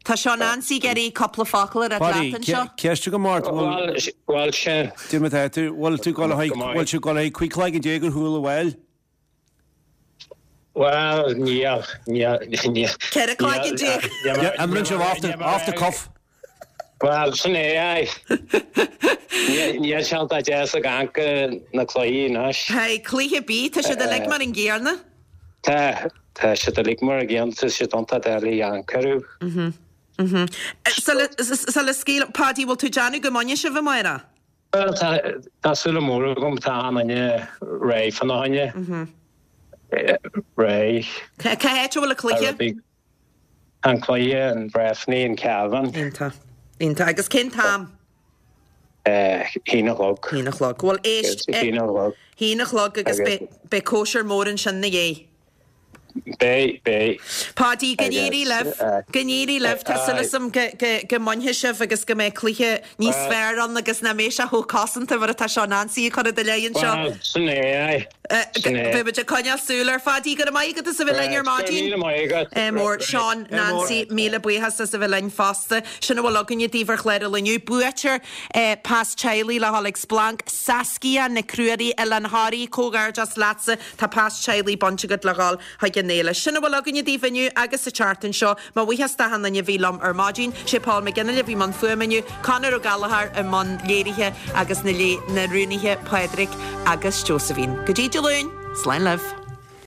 Tá Seán Ansaí ag iarraidh cúpla focal a rá leat anseo. Ceist agam ort, bhfuil. Bhuel, sin. Cad é mar atá tú, bhfuil tú ag dul a bhfuil tú ag dul 15 cloig ar shiúl abhaile? Bhuel, níl, níl, níl. 14 cloig. Imríonn sibh off the, off the cuff. Bhuel, sin é, aye. Níl sé iontach deas ag amharc ar na cluichí anois. Hey, cluiche ar bith, tá siad uilig mar an gcéanna. Tá, tá siad uilig mar an gcéanna, tá siad iontach doiligh amharc orthu. Sula scaoil, Paddy, bhfuil tú ag déanamh go mbainfidh sibh amárach? Bhuel, tá, tá súil mór agam, tá achan duine réidh fána choinne. Réidh. Cá háit a bhfuil an cluiche? An cluiche, an Breffni, an Cabhán. Iontach. Iontach. Agus cén t-am? Haon a chlog. Haon a chlog. Bhuel, éist. Haon a chlog. Haon a chlog agus beidh cóisir mór ansin ina dhiaidh. Beidh, beidh. Páidí, go n-éirí libh, go n-éirí libh. Tá súil agam go mbainfidh sibh agus go mbeidh cluiche níos fearr ann agus nach mbeidh sé chomh cosanta mar atá seo Nancy ag cur i do leith anseo. Bhuel, sin é, aye. Sin é. Beidh muid ag coinneáil súil air. Pháidí, go raibh maith agat as a bheith linn ar maidin. Go raibh míle maith agat. Ádh mór. Seán, Nancy, míle buíochas as a bheith linn fosta. Sin a bhfuil againne daoibh ar chlár an lae inniu. Buaiteoir pas teaghlaigh le dhul ag Splanc, Saskia Nic Ruairí, Oileán Thoraí, comhghairdeas leatsa. Tá pas teaghlaigh bainte agat le dhul chuig an fhéile. Sin a bhfuil againne daoibh inniu agus sa tseachtain seo. Mo bhuíochas d'achan duine a bhí liom ar maidin. Sé Paul McGinley a bhí i mbun fuaime inniu, Conor Ó Gallchóir i mbun léirithe agus na na rúnaithe Pádraig agus Josephine. Go dtí Dé Luain, slán libh.